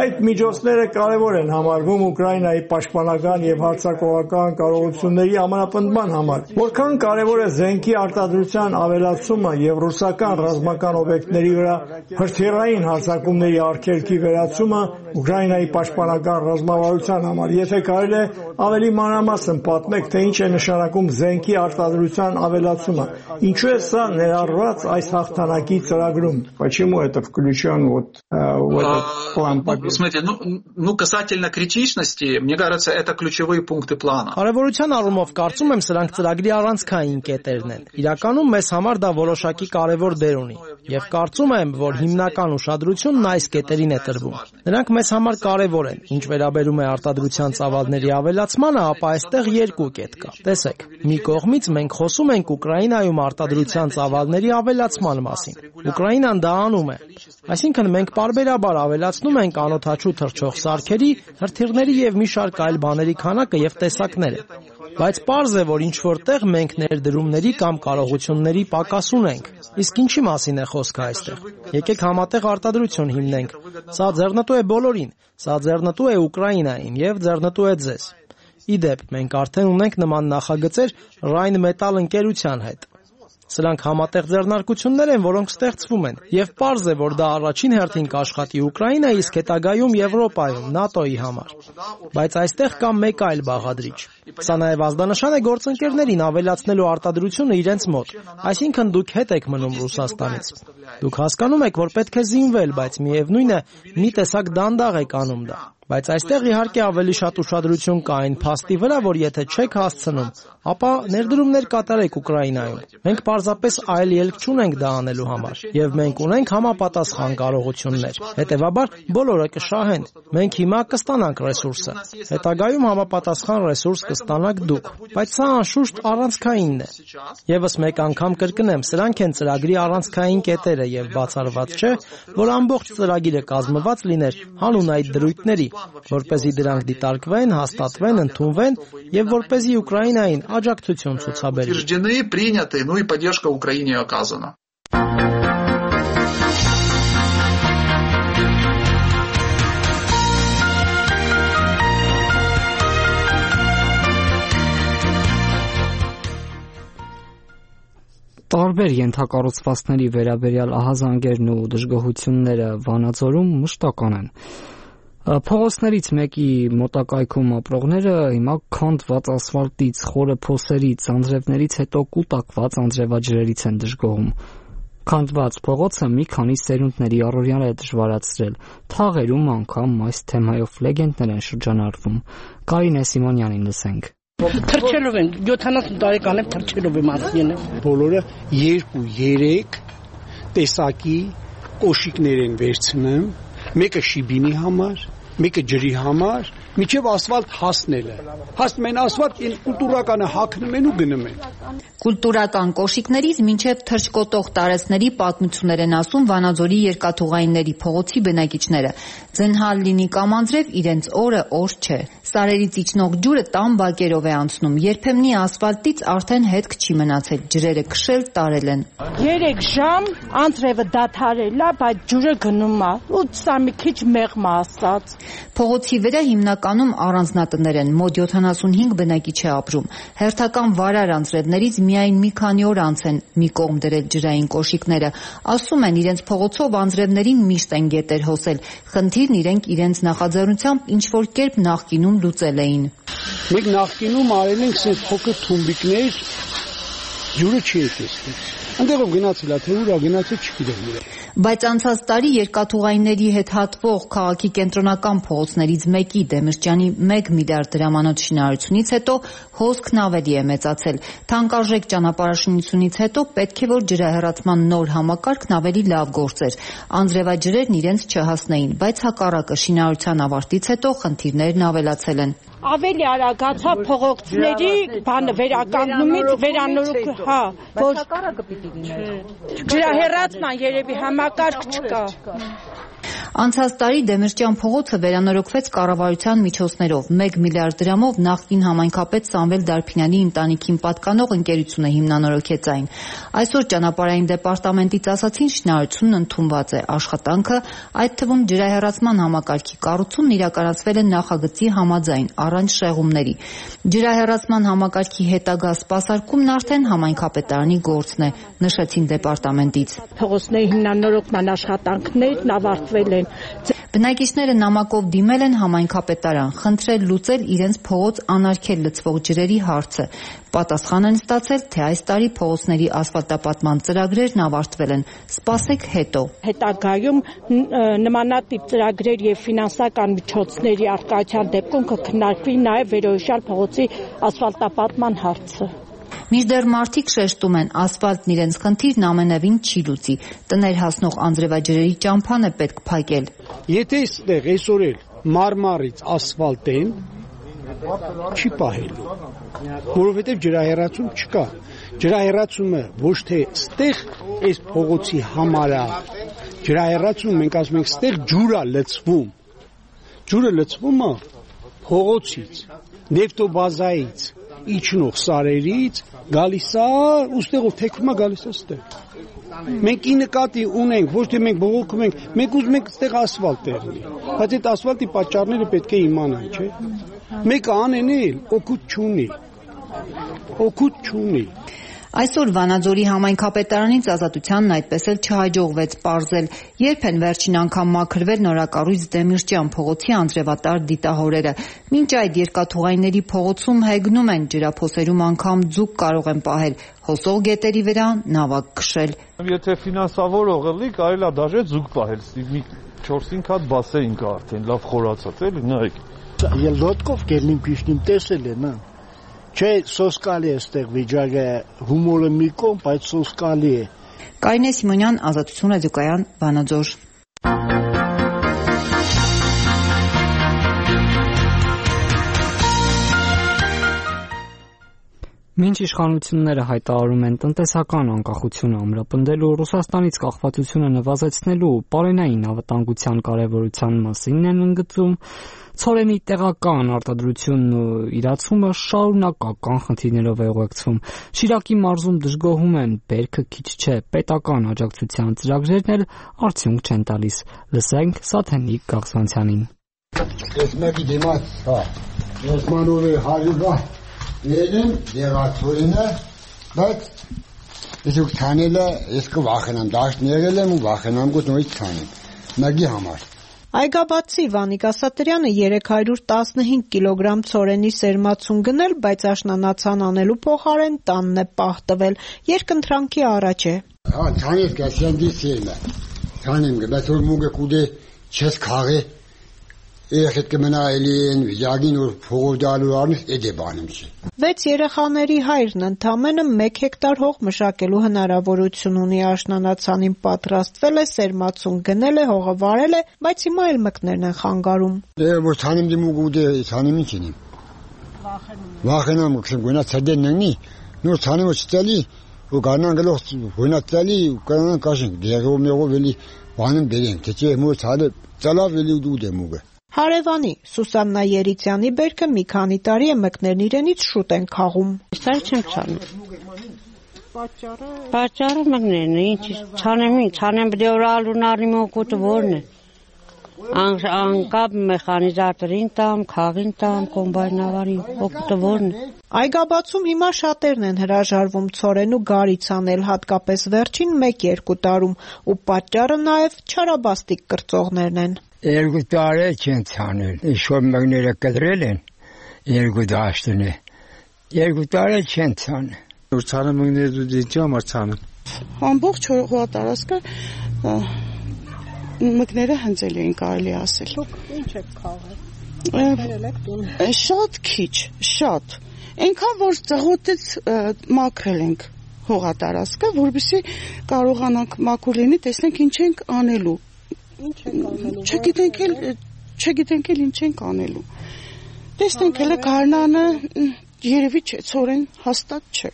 Այդ միջոցները կարևոր են համարվում Ուկրաինայի պաշտպանական եւ հարձակողական կարողությունների ամրապնդման համար։ Որքան կարևոր է զենքի արտադրության ավելացումը եւ ռուսական ռազմական օբյեկտների վրա հրթիռային հարձակումների արգելքի վերացումը Ուկրաինայի պաշտպանական ղեկավար ռազմավարության համար, եթե կարելի է ավելի մանրամասն պատմեք, թե ինչ է նշանակում զենքի արտադրության ավելացումը, ինչու է սա ներառված այս հաղթանակի ծրագրում, почему это включен вот в этот план победы? Смотрите, ну, ну касательно критичности, мне кажется, это ключевые пункты плана. Կարևորության առումով կարծում եմ սրանք ծրագրի առանցքային կետերն են։ Իրականում մեզ համար դա որոշակի կարևոր դեր ունի եւ կարծում եմ, որ հիմնական ուշադրությունն այս կետերին է տրվում։ Նրանք մեզ համար կարևոր են։ Ինչ վերաբերում է արտադրության ծավալների ավելացմանը, ապա այստեղ երկու կետ կա։ Տեսեք, մի կողմից մենք խոսում ենք Ուկրաինայում արտադրության ծավալների ավելացման մասին։ Ուկրաինան դա անում է։ Այսինքն մենք պարբերաբար ավելացնում ենք անօդաչու թռչող սարքերի, հրթիռների եւ մի շարք այլ բաների քանակը եւ տեսակները։ Բայց պարզ է, որ ինչ որտեղ մենք ներդրումների կամ կարողությունների պակաս ունենք։ Իսկ ինչի մասին է խոսքը այստեղ։ Եկեք համատեղ արտադրություն հիմնենք։ Սա ձեռնտու է բոլորին, սա ձեռնտու է Ուկրաինային եւ ձեռնտու է ձեզ։ Իդեպ, մենք արդեն ունենք նման նախագծեր Rheinmetall ընկերության հետ։ Սրանք համատեղ ձեռնարկություններ են, որոնք ստեղծվում են, եւ պարզ է, որ դա առաջին հերթին կաշխատի Ուկրաինայի, իսկ հետագայում Եվրոպայում, ՆԱՏՕ-ի համար։ Բայց այստեղ կա մեկ այլ բաղադրիչ։ Սա նաև ազդանշան է գործընկերներին ավելացնելու արտադրությունը իրենց մոտ, այսինքն դուք հետ եք մնում Ռուսաստանից։ Դուք հասկանում եք, որ պետք է զինվել, բայց միևնույն է, մի տեսակ դանդաղ եք անում դա։ Բայց այստեղ իհարկե ավելի շատ ուշադրություն կա այն փաստի վրա, որ եթե չեք հասցնում, ապա ներդրումներ կատարեք Ուկրաինայում։ Մենք պարզապես այլ ելք չունենք դա անելու համար, եւ մենք ունենք համապատասխան կարողություններ։ Հետևաբար բոլորը կշահեն։ Մենք հիմա կստանանք ռեսուրսը։ Հետագայում համապատասխան ռեսուրս կստանաք դուք։ Բայց սա անշուշտ առանցքայինն է։ Եվս մեկ անգամ կրկնեմ, սրանք են ծրագրի առանցքային կետերը եւ բացառված չէ, որ ամբողջ ծրագիրը կազմված լիներ հանուն այդ դրույթների, որպեսզի դրանք դիտարկվեն, հաստատվեն, ընդունվեն եւ որպեսզի Ուկրաինային աջակցություն ցուցաբերեն։ Утверждены, приняты, ну и поддержка Украине оказана. Տարբեր ենթակառուցվածքների վերաբերյալ ահազանգերն ու դժգոհությունները Վանաձորում մշտական են։ Փողոցներից մեկի մոտակայքում ապրողները հիմա քանդված ասֆալտից, խորը փոսերից, անձրևներից հետո կուտակված անձրևաջրերից են դժգոհում։ Քանդված փողոցը մի քանի սերունդների առօրյան է դժվարացրել։ Թաղերում անգամ այս թեմայով լեգենդներ են շրջանառվում։ Կարինե Սիմոնյանին լսենք։ Թրջելով են, յոթանասուն տարեկան եմ թրջելով եմ ասին։ Բոլորը երկու, երեք տեսակի կոշիկներ են վերցնում, մեկը շիբինի համար, մեկը ջրի համար, միջև ասֆալտ հասնելը։ Հասնում են ասֆալտ, այն կուլտուրականը հագնում են ու գնում են։ Կուլտուրական կոշիկներից մինչև թրջկոտող տարածքների պատմություններ են ասում Վանաձորի երկաթուղայինների փողոցի բնակիչները։ Ձնհալ լինի կամ անձրև, իրենց օրը օր չէ։ Սարերից իջնող ջուրը տան բակերով է անցնում, երբեմնի ասֆալտից արդեն հետք չի մնացել, ջրերը քշել տարել են։ Երեք ժամ անձրևը դադարել է, բայց ջուրը գնում է, ու սա մի քիչ մեղմ ասած։ Փողոցի վրա հիմնականում առանձնատներ են, մոտ յոթանասունհինգ բնակիչ է ապրում։ Հերթական վարար անձրևներից միայն մի քանի օր անց են մի կողմ դրել ջրային կոշիկները։ Ասում են, իրենց փողոցով անձրևներին միշտ են գետեր հոսել։ Խնդիրն իրենք իրենց նախաձեռնությամբ ինչ-որ կերպ նախկինում լուծել էին։ Մենք նախկինում արել ենք սենց փոքր թումբիկներ, ջուրը չի եկել։ Այնտեղով գնացել է, թե ուր է գնացել չգիտեմ։ Բայց անցած տարի երկաթուղայինների հետ հատվող քաղաքի կենտրոնական փողոցներից մեկի Դեմիրճյանի մեկ միլիարդ դրամանոց շինարարությունից հետո հոսքն ավելի է մեծացել։ Թանկարժեք ճանապարհաշինությունից հետո պետք է որ ջրահեռացման նոր համակարգն ավելի լավ գործեր։ Անձրևաջրերն իրենց չհասնեին, բայց հակառակը շինարարության ավարտից հետո խնդիրներն ավելացել են։ Ավելի արագացա փողոցների բանը վերականգնումից վերանորոգ, հա, որ ջրահեռացման երևի համակարգ չկա։ Անցած տարի Դեմիրճյան փողոցը վերանորոգվեց կառավարության միջոցներով։ մեկ միլիարդ դրամով նախկին համայնքապետ Սամվել Դարփինյանի ընտանիքին պատկանող ընկերությունը հիմնանորոգեց այն։ Այսօր ճանապարհային դեպարտամենտից ասացին շինարարությունն ընդունված է, աշխատանքը, այդ թվում ջրահեռացման համակարգի կառուցումն իրականացվել է նախագծի համաձայն, առանց շեղումների։ Ջրահեռացման համակարգի հետագա սպասարկումն արդեն համայնքապետարանի գործն է, նշեցին դեպարտամենտից։ Փողոցների հիմնանորոգման աշխատանքներն ավարտվել են։ Բնակիչները նամակով դիմել են համայնքապետարան, խնդրել լուծել իրենց փողոց անարգել լցվող ջրերի հարցը։ Պատասխան են ստացել, թե այս տարի փողոցների ասֆալտապատման ծրագրերն ավարտվել են։ Սպասեք հետո։ Հետագայում նմանատիպ ծրագրեր եւ ֆինանսական միջոցների արկայության դեպքում կքննարկվի նաեւ վերոհիշյալ փողոցի ասֆալտապատման հարցը։ Մինչդեռ մարդիկ շեշտում են, ասֆալտն իրենց խնդիրն ամենևին չի լուծի։ Տներ հասնող անձրևաջրերի ճամփան է պետք փակել։ Եթե այստեղ այսօր էլ մարմարից ասֆալտեն չի պահելու, որովհետև ջրահեռացում չկա։ Ջրահեռացումը ոչ թե ստեղ այս փողոցի համար է, ջրահեռացում մենք ասում ենք ստեղ ջուր է լցվում։ Ջուրը լցվում է փողոցից, նեֆտոբազայից, իջնող սարերից, գալիս է, ուստեղով թեքվում է գալիս է ստեղ։ Մենք ի նկատի ունենք, ոչ թե մենք բողոքում ենք, մենք ուզում ենք ստեղ ասֆալտ լինի, բայց այդ ասֆալտի պատճառները պետք է իմանան, չէ՞։ Մեկը անենել օգուտ չունի, օգուտ չունի։ Այսօր Վանաձորի համայնքապետարանից Ազատությանն այդպես էլ չհաջողվեց պարզել, երբ են վերջին անգամ մաքրվել նորակառույց Դեմիրճյան փողոցի անձրևատար դիտահորերը։ Մինչ այդ երկաթուղայինների փողոցում հեգնում են, ջրափոսերում անգամ ձուկ կարող են պահել, հոսող գետերի վրա նավակ քշել։ Եթե ֆինանսավորողը լի, կարելի է դաժե ձուկ պահել, մի չորս-հինգ հատ բասեին կա արդեն, լավ խորացած էլի, նայեք։ Ելդոտկով կերնիմ քիշնիմ տեսել են, հա։ Չէ, սոսկալի է ստեղ վիճակը, հումորը մի կողմ, բայց սոսկալի է։ Կարինե Սիմոնյան, Ազատություն ռադիոկայան, Վանաձոր։ Մինչ իշխանությունները հայտարարում են տնտեսական անկախությունը ամրապնդելու, Ռուսաստանից կախվածությունը նվազեցնելու, պարենային անվտանգության կարևորության մասին են ընդգծում, ցորենի տեղական արտադրությունն ու իրացումը շարունակական խնդիրներով է ուղեկցվում։ Շիրակի մարզում դժգոհում են, բերքը քիչ չէ, պետական աջակցության ծրագրերն էլ արդյունք չեն տալիս։ Լսենք Սաթենիկ Գաղսանցյանին։ Ես մեկի դիմաց, հա, ես մանորի հարյուգա Ներեմ դեղացորինը, բայց ես ուք թանելը, ես կվախենամ, դաշտ ներել եմ ու վախենամ գոտ նորից թանեմ, մագի համար։ Այգաբացի Վանիկ Ասատրյանը երեք հարյուր տասնհինգ կիլոգրամ ցորենի սերմացուն գնել, բայց աշնանացան անելու փոխարեն տանն է պահ տվել, երկընտրանքի առաջ է։ Հա, թանես գասյանդի սերմը, թանեմ գ, բայց որ մուգը կուդե չես քաղե, Երեխետ կմնա էլի են վիճագին, որ փողով դալու արնես, էդ է բանում չի։ Վեց երեխաների հայրն ընդամենը մեկ հեկտար հող մշակելու հնարավորություն ունի աշնանացանին պատրաստվել է, սերմացուն գնել է, հողը վարել է, բայց հիմա էլ մկներն են խանգարում։ Դե որ թանեմ դեմ ու գուդե թանեմ ինչ ինիմ։ Վախենամ կսեմ գոնա ցդեն ննի, նոր թանեմ չտալի, ու գանան գլոխ գոնա տալի, ու կանան կաշենք, դեղով մեղով էլի բանում բերենք, թե չէ մոր ցալը ցալավ էլի ու դե մուգը։ Հարևանի Սուսաննա Երիցյանի բերքը մի քանի տարի է մկներն իրենից շուտ են քաղում։ Սա չեմ ցանում։ Պատճառը Պատճառը մկներն է, ինչ ցանեմ, ցանեմ դեորալուն արի մոկոտը որն է։ Ան անկապ մեխանիզատորին տամ, քաղին տամ, կոմբայնավարին, օգտը որն է։ Այգաբացում հիմա շատերն են հրաժարվում ցորեն ու գարից անել, հատկապես վերջին մեկ-երկու տարում, ու պատճառը նաև չարաբաստիկ կրծողներն են։ Երկու տարի չեն ցանել, ինչ-որ մկները կտրել են, երկու դաշտն է, երկու տարի չեն ցանել։ Որ ցանը մկները դու դիճի համար ցանը։ Ամբողջ հողատարածքը մկները հնձել էին, կարելի ասել։ Ինչ եք քաղել։ Շատ քիչ, շատ։ Այնքան որ ծղոտից մաքրել ենք հողատարածքը, որովհետեւ կարողանանք մաքուր լինի, տեսնենք ինչ ենք անելու։ Ինչ ենք անելու։ Չգիտենք էլ, չգիտենք էլ ինչ ենք անելու։ Տեսնենք հələ գարնանը երևի չէ, ցորեն հաստատ չէ։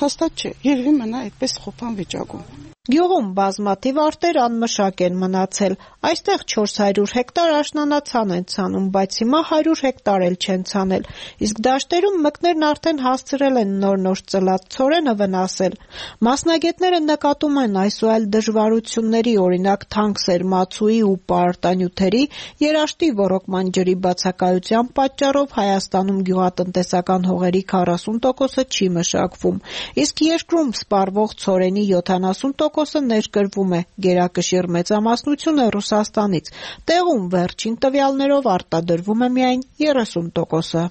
Հաստատ չէ, երևի մնա այդպես խոփան վիճակում։ Գյուղում բազմաթիվ արտեր անմշակ են մնացել։ Այստեղ չորս հարյուր հեկտար աշնանացան են ցանում, բայց հիմա հարյուր հեկտար էլ չեն ցանել։ Իսկ դաշտերում մկներն արդեն հասցրել են նոր-նոր ծլած ցորենը վնասել։ Մասնագետները նկատում են այս ու այլ դժվարությունների, օրինակ թանկ սերմացուի ու պարտանյութերի, երաշտի ոռոգման ջրի բացակայության պատճառով Հայաստանում գյուղատնտեսական հողերի քառասուն տոկոսը չի մշակվում, իսկ երկրում սպառվող ցորենի յոթանասուն տոկոսը տոկոսը ներկրվում է, գերակշիռ մեծամասնությունը Ռուսաստանից։ Տեղում վերջին տվյալներով արտադրվում է միայն երեսուն տոկոսը։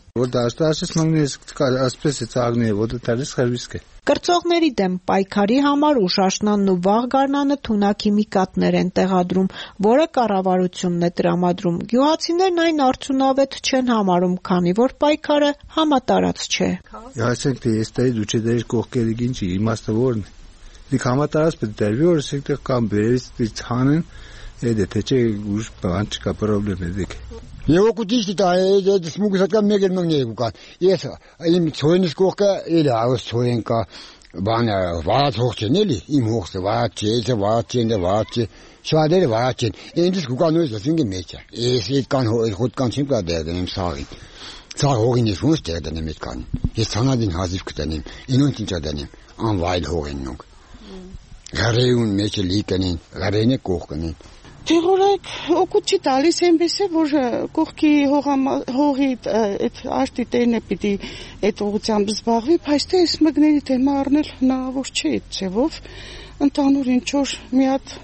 Կրծողների դեմ պայքարի համար Ուշաշնանն ու Վաղ գարնանը թունաքիմիկատներ են տեղադրում, որը կառավարությունն է տրամադրում։ Գյուղացիներն այն արդյունավետ չեն համարում, քանի որ պայքարը համատարած չէ։ Ասենք թե ես տայի դու չդեր կողքերի գինչի իմաստը որն է։ Դիք համատարած պետք է դերվի որ ասենք թե կամ բերից ցանեն, այդ թե չէ ուժ բան չկա պրոբլեմ է դիք։ Եվ օգուտիստի դա է սմուգսական մեգեր մնգնի ուկան։ Ես իմ ցոյնից կողքը էլի աուս ցոյեն կա բանը վաց հողջեն էլի իմ հողսը վաց չէ վաց չեն վաց շադերը վաց չեն ինձ կուկանոյս ասինգի մեջա ես իդ կան հոտ կան չեմ կա դերդեմ սաղին սաղ հողին ես ոնց դերդեմ իդ կան ես ցանադին հազիվ կտանեմ ինոնց ինչա դանեմ անվայլ հողեն նոք գարեուն մեջը լիկնին գարենը կողքնին Թեղորայք օգուտ չի տալիս այնպես է որ կողքի հողի այդ աշտի տերն է պիտի այդ ուղղությամբ զբաղվի, բայց թե այս մգների թեմա առնել հնարավոր չէ այդ ձևով, ընդհանուր ինչ որ մի հատ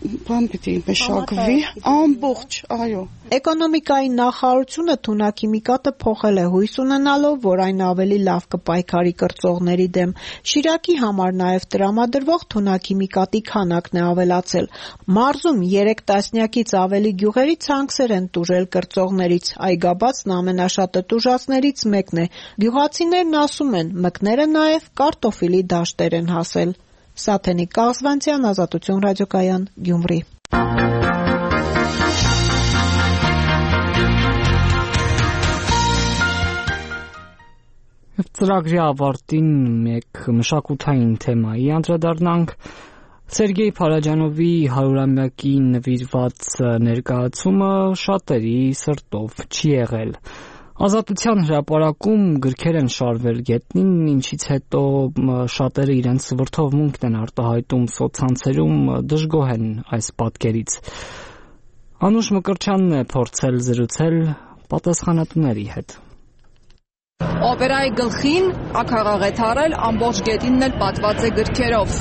բան պիտի մշակվի, ամբողջ, այո։ Էկոնոմիկայի նախարարությունը թունաքիմիկատը փոխել է հույս ունենալով, որ այն ավելի լավ կպայքարի կրծողների դեմ։ Շիրակի համար նաև տրամադրվող թունաքիմիկատի քանակն է ավելացել։ Մարզում երեք տասնյակից ավելի գյուղերի ցանքսեր են տուժել կրծողներից, այգաբացն ամենաշատը տուժածներից մեկն է։ Գյուղացիներն ասում են, մկները նաև կարտոֆիլի դաշտեր են հասել։ Սաթենիկ Կաղզվանցյան, Ազատություն ռադիոկայան, Գյումրի։ Ծրագրի ավարտին մեկ մշակութային թեմայի անդրադառնանք։ Սերգեյ Փարաջանովի հարյուրամյակին նվիրված ներկայացումը շատերի սրտով չի եղել։ Ազատության հրապարակում գրքեր են շարվել գետնին, ինչից հետո շատերը իրենց վրդովմունքն են արտահայտում սոցցանցերում, դժգոհ են այս պատկերից։ Անուշ Մկրտչյանն է փորձել զրուցել պատասխանատուների հետ։ Օպերայի գլխին ակաղաղ է թարել, ամբողջ գետինն էլ պատված է գրքերով։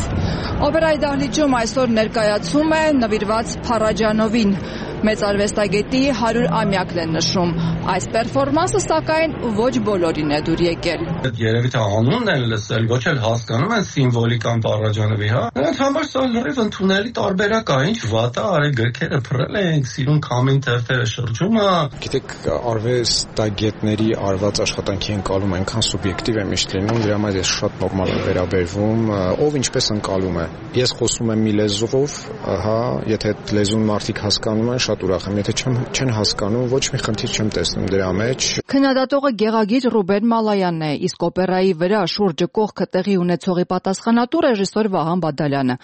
Օպերայի դահլիճում այսօր ներկայացում է նվիրված Փարաջանովին։ Մեծ արվեստագետի հարյուրամյակն են նշում։ Այս պերֆորմանսը սակայն ոչ բոլորին է դուր եկել։ Երևի թե անունն են լսել, ոչ էլ հասկանում են սիմվոլիկան Փարաջանովի, հա։ Նրանց համար սա լրիվ ընդունելի տարբերակ է, ինչ վատ է, արի գրքերը փռել ենք, սիրուն քամին թերթերը շրջումը։ Գիտեք, արվեստագետների արված աշխատանքի ընկալումը այնքան սուբյեկտիվ է միշտ լինում, դրա համար ես շատ նորմալ եմ վերաբերվում, ով ինչպես ընկալում է։ Ես խոսում եմ մի լեզվով, հա, եթե այդ լեզուն մարդիկ հասկանում են, շատ ուրախ եմ, եթե չեն հասկանում, ոչ մի խնդիր չեմ տեսնում դրա մեջ։ Քննադատողը գեղագիր Ռուբեն Մալայանն է, իսկ օպերայի վրա շուրջը կողքը տեղի ունեցողի պատասխանատու ռեժիսոր Վահան Բադալյանը։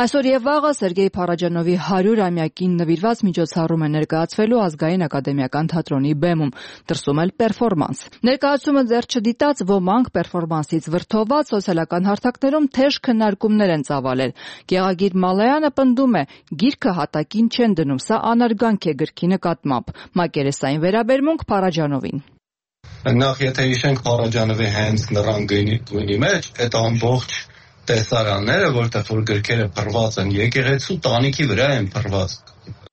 Այսօր եւ վաղը Սերգեյ Փարաջանովի հարյուրամյակին նվիրված միջոցառում է ներկայացվելու Ազգային ակադեմիական թատրոնի բեմում, դրսում էլ պերֆորմանս։ Ներկայացումը ձեռք չդիտած ոմանք պերֆորմանսից վրդոված սոցիալական հարթակներում թեժ քննարկումներ են ծավալել։ Գեղագիր Մալայանը պնդում է, գիրքը հատակին չեն դնում, սա անարգանք է գրքի նկատմամբ։ Մակերեսային վերաբերմունք Փարաջանովին։ Նախ եթե հիշենք Փարաջանովի հենց նռան գույնի մեջ, այդ ամբողջ տեսարանները, որտեղ որ գրքերը փռված են, եկեղեցու տանիքի վրա են փռված։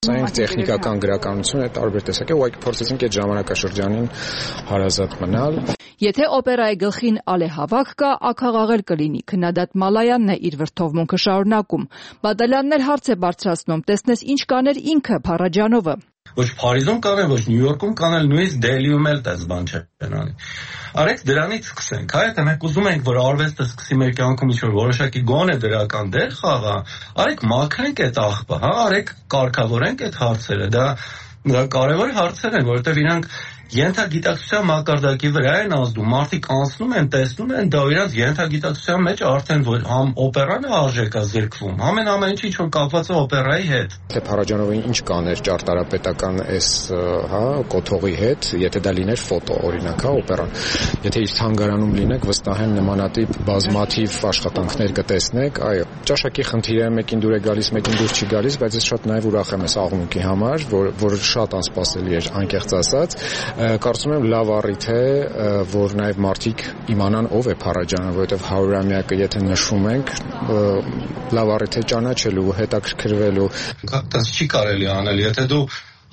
Այն տեխնիկական գրականություն է տարբեր տեսակ է, ուղղակի փորձեցինք այդ ժամանակաշրջանին հարազատ մնալ։ Եթե օպերայի գլխին ալեհավաք կա, ակաղաղել կլինի, քննադատ Մալայանն է իր վրդովմունքը շարունակում։ Բադալյանն էլ հարց է բարձրացնում, տեսնես ինչ կաներ ինքը Փարաջանովը։ Ոչ Փարիզում կանել, ոչ Նյու Յորքում կանել, նույնիսկ Դելիում էլ տես բան չեն անի։ Արեք դրանից սկսենք, հա, եթե մենք ուզում ենք, որ արվեստը սկսի մեր կյանքում ինչ-որ որոշակի գոնե դրական դեր խաղա, արեք մաքրենք այդ աղբը, հա, արեք կարգավորենք այդ հարցերը, դա դա կարևոր հարցեր են, որովհետև իրանք ենթագիտակցության մակարդակի վրա են ազդում, մարդիկ անցնում են, տեսնում են, դա իրանք ենթագիտակցության մեջ արդեն որ համ օպերան է արժեքա զրկվում, ամեն ամեն ինչ ինչ որ կապված է օպերայի հետ։ Թե Փարաջանովին ինչ կաներ ճարտարապետական այս, հա, կոթողի հետ, եթե դա լիներ ֆոտո, օրինակ, հա, օպերան։ Եթե իր թանգարանում լինեք, վստահ եմ նմանատիպ բազմաթիվ աշխատանքներ կտեսնեք, այո, ճաշակի խնդիրը մեկին դուր է գալիս, մեկին դուր չի գալիս, բայց ես շատ նաև ուրախ եմ այս աղմուկի համար, որ որ շատ անսպասելի էր, անկեղծ ասած։ Կարծում եմ լավ առիթ է, որ նաև մարդիկ իմանան ով է Փարաջանը, որովհետև հարյուրամյակը եթե նշում ենք, լավ առիթ է ճանաչելու, հետաքրքրվելու։ Դա չի կարելի անել, եթե դու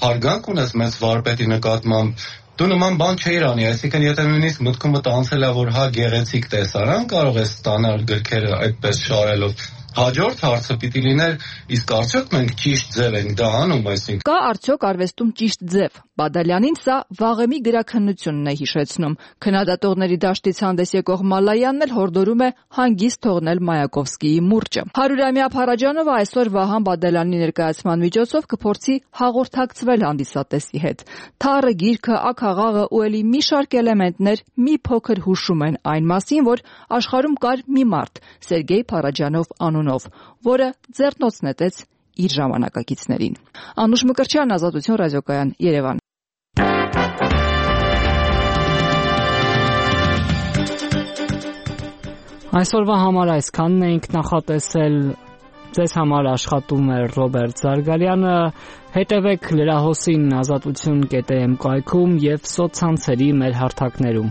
հարգանք ունես մեծ վարպետի նկատմամբ, դու նման բան չէիր անի, այսինքն եթե նույնիսկ մտքումդ անցել է, որ հա գեղեցիկ տեսարան կարող ես ստանալ գրքերը այդպես շարելով, հաջորդ հարցը պիտի լիներ, իսկ արդյոք մենք ճիշտ ձև ենք դա անում, այսինքն։ Կա արդյոք արվեստում ճիշտ ձև։ Բադալյանին սա վաղեմի գրաքննությունն է հիշեցնում։ Քննադատողների դաշտից հանդես եկող Մալայանն էլ հորդորում է հանգիստ թողնել Մայակովսկիի մուրճը։ Հարյուրամյա Փարաջանովը այսօր Վահան Բադալյանի ներկայացման միջոցով կփորձի հաղորդակցվել հանդիսատեսի հետ։ Թառը, գիրքը, ակաղաղը ու ելի մի շարք էլեմենտներ մի փոքր հուշում են այն մասին, որ աշխարհում կար մի մարդ՝ Սերգեյ Փարաջանով անունով, որը ձեռնոց նետեց իր ժամանակակիցներին։ Անուշ Մկրտչյան, Ազատություն ռադիոկայան, Երևան։ Այսօրվա համար այսքանն էինք նախատեսել։ Ձեզ համար աշխատում է Ռոբերտ Զարգարյանը։ Հետևեք լրահոսին ազատություն կետ էմ կայքում եւ սոցցանցերի մեր հարթակներում։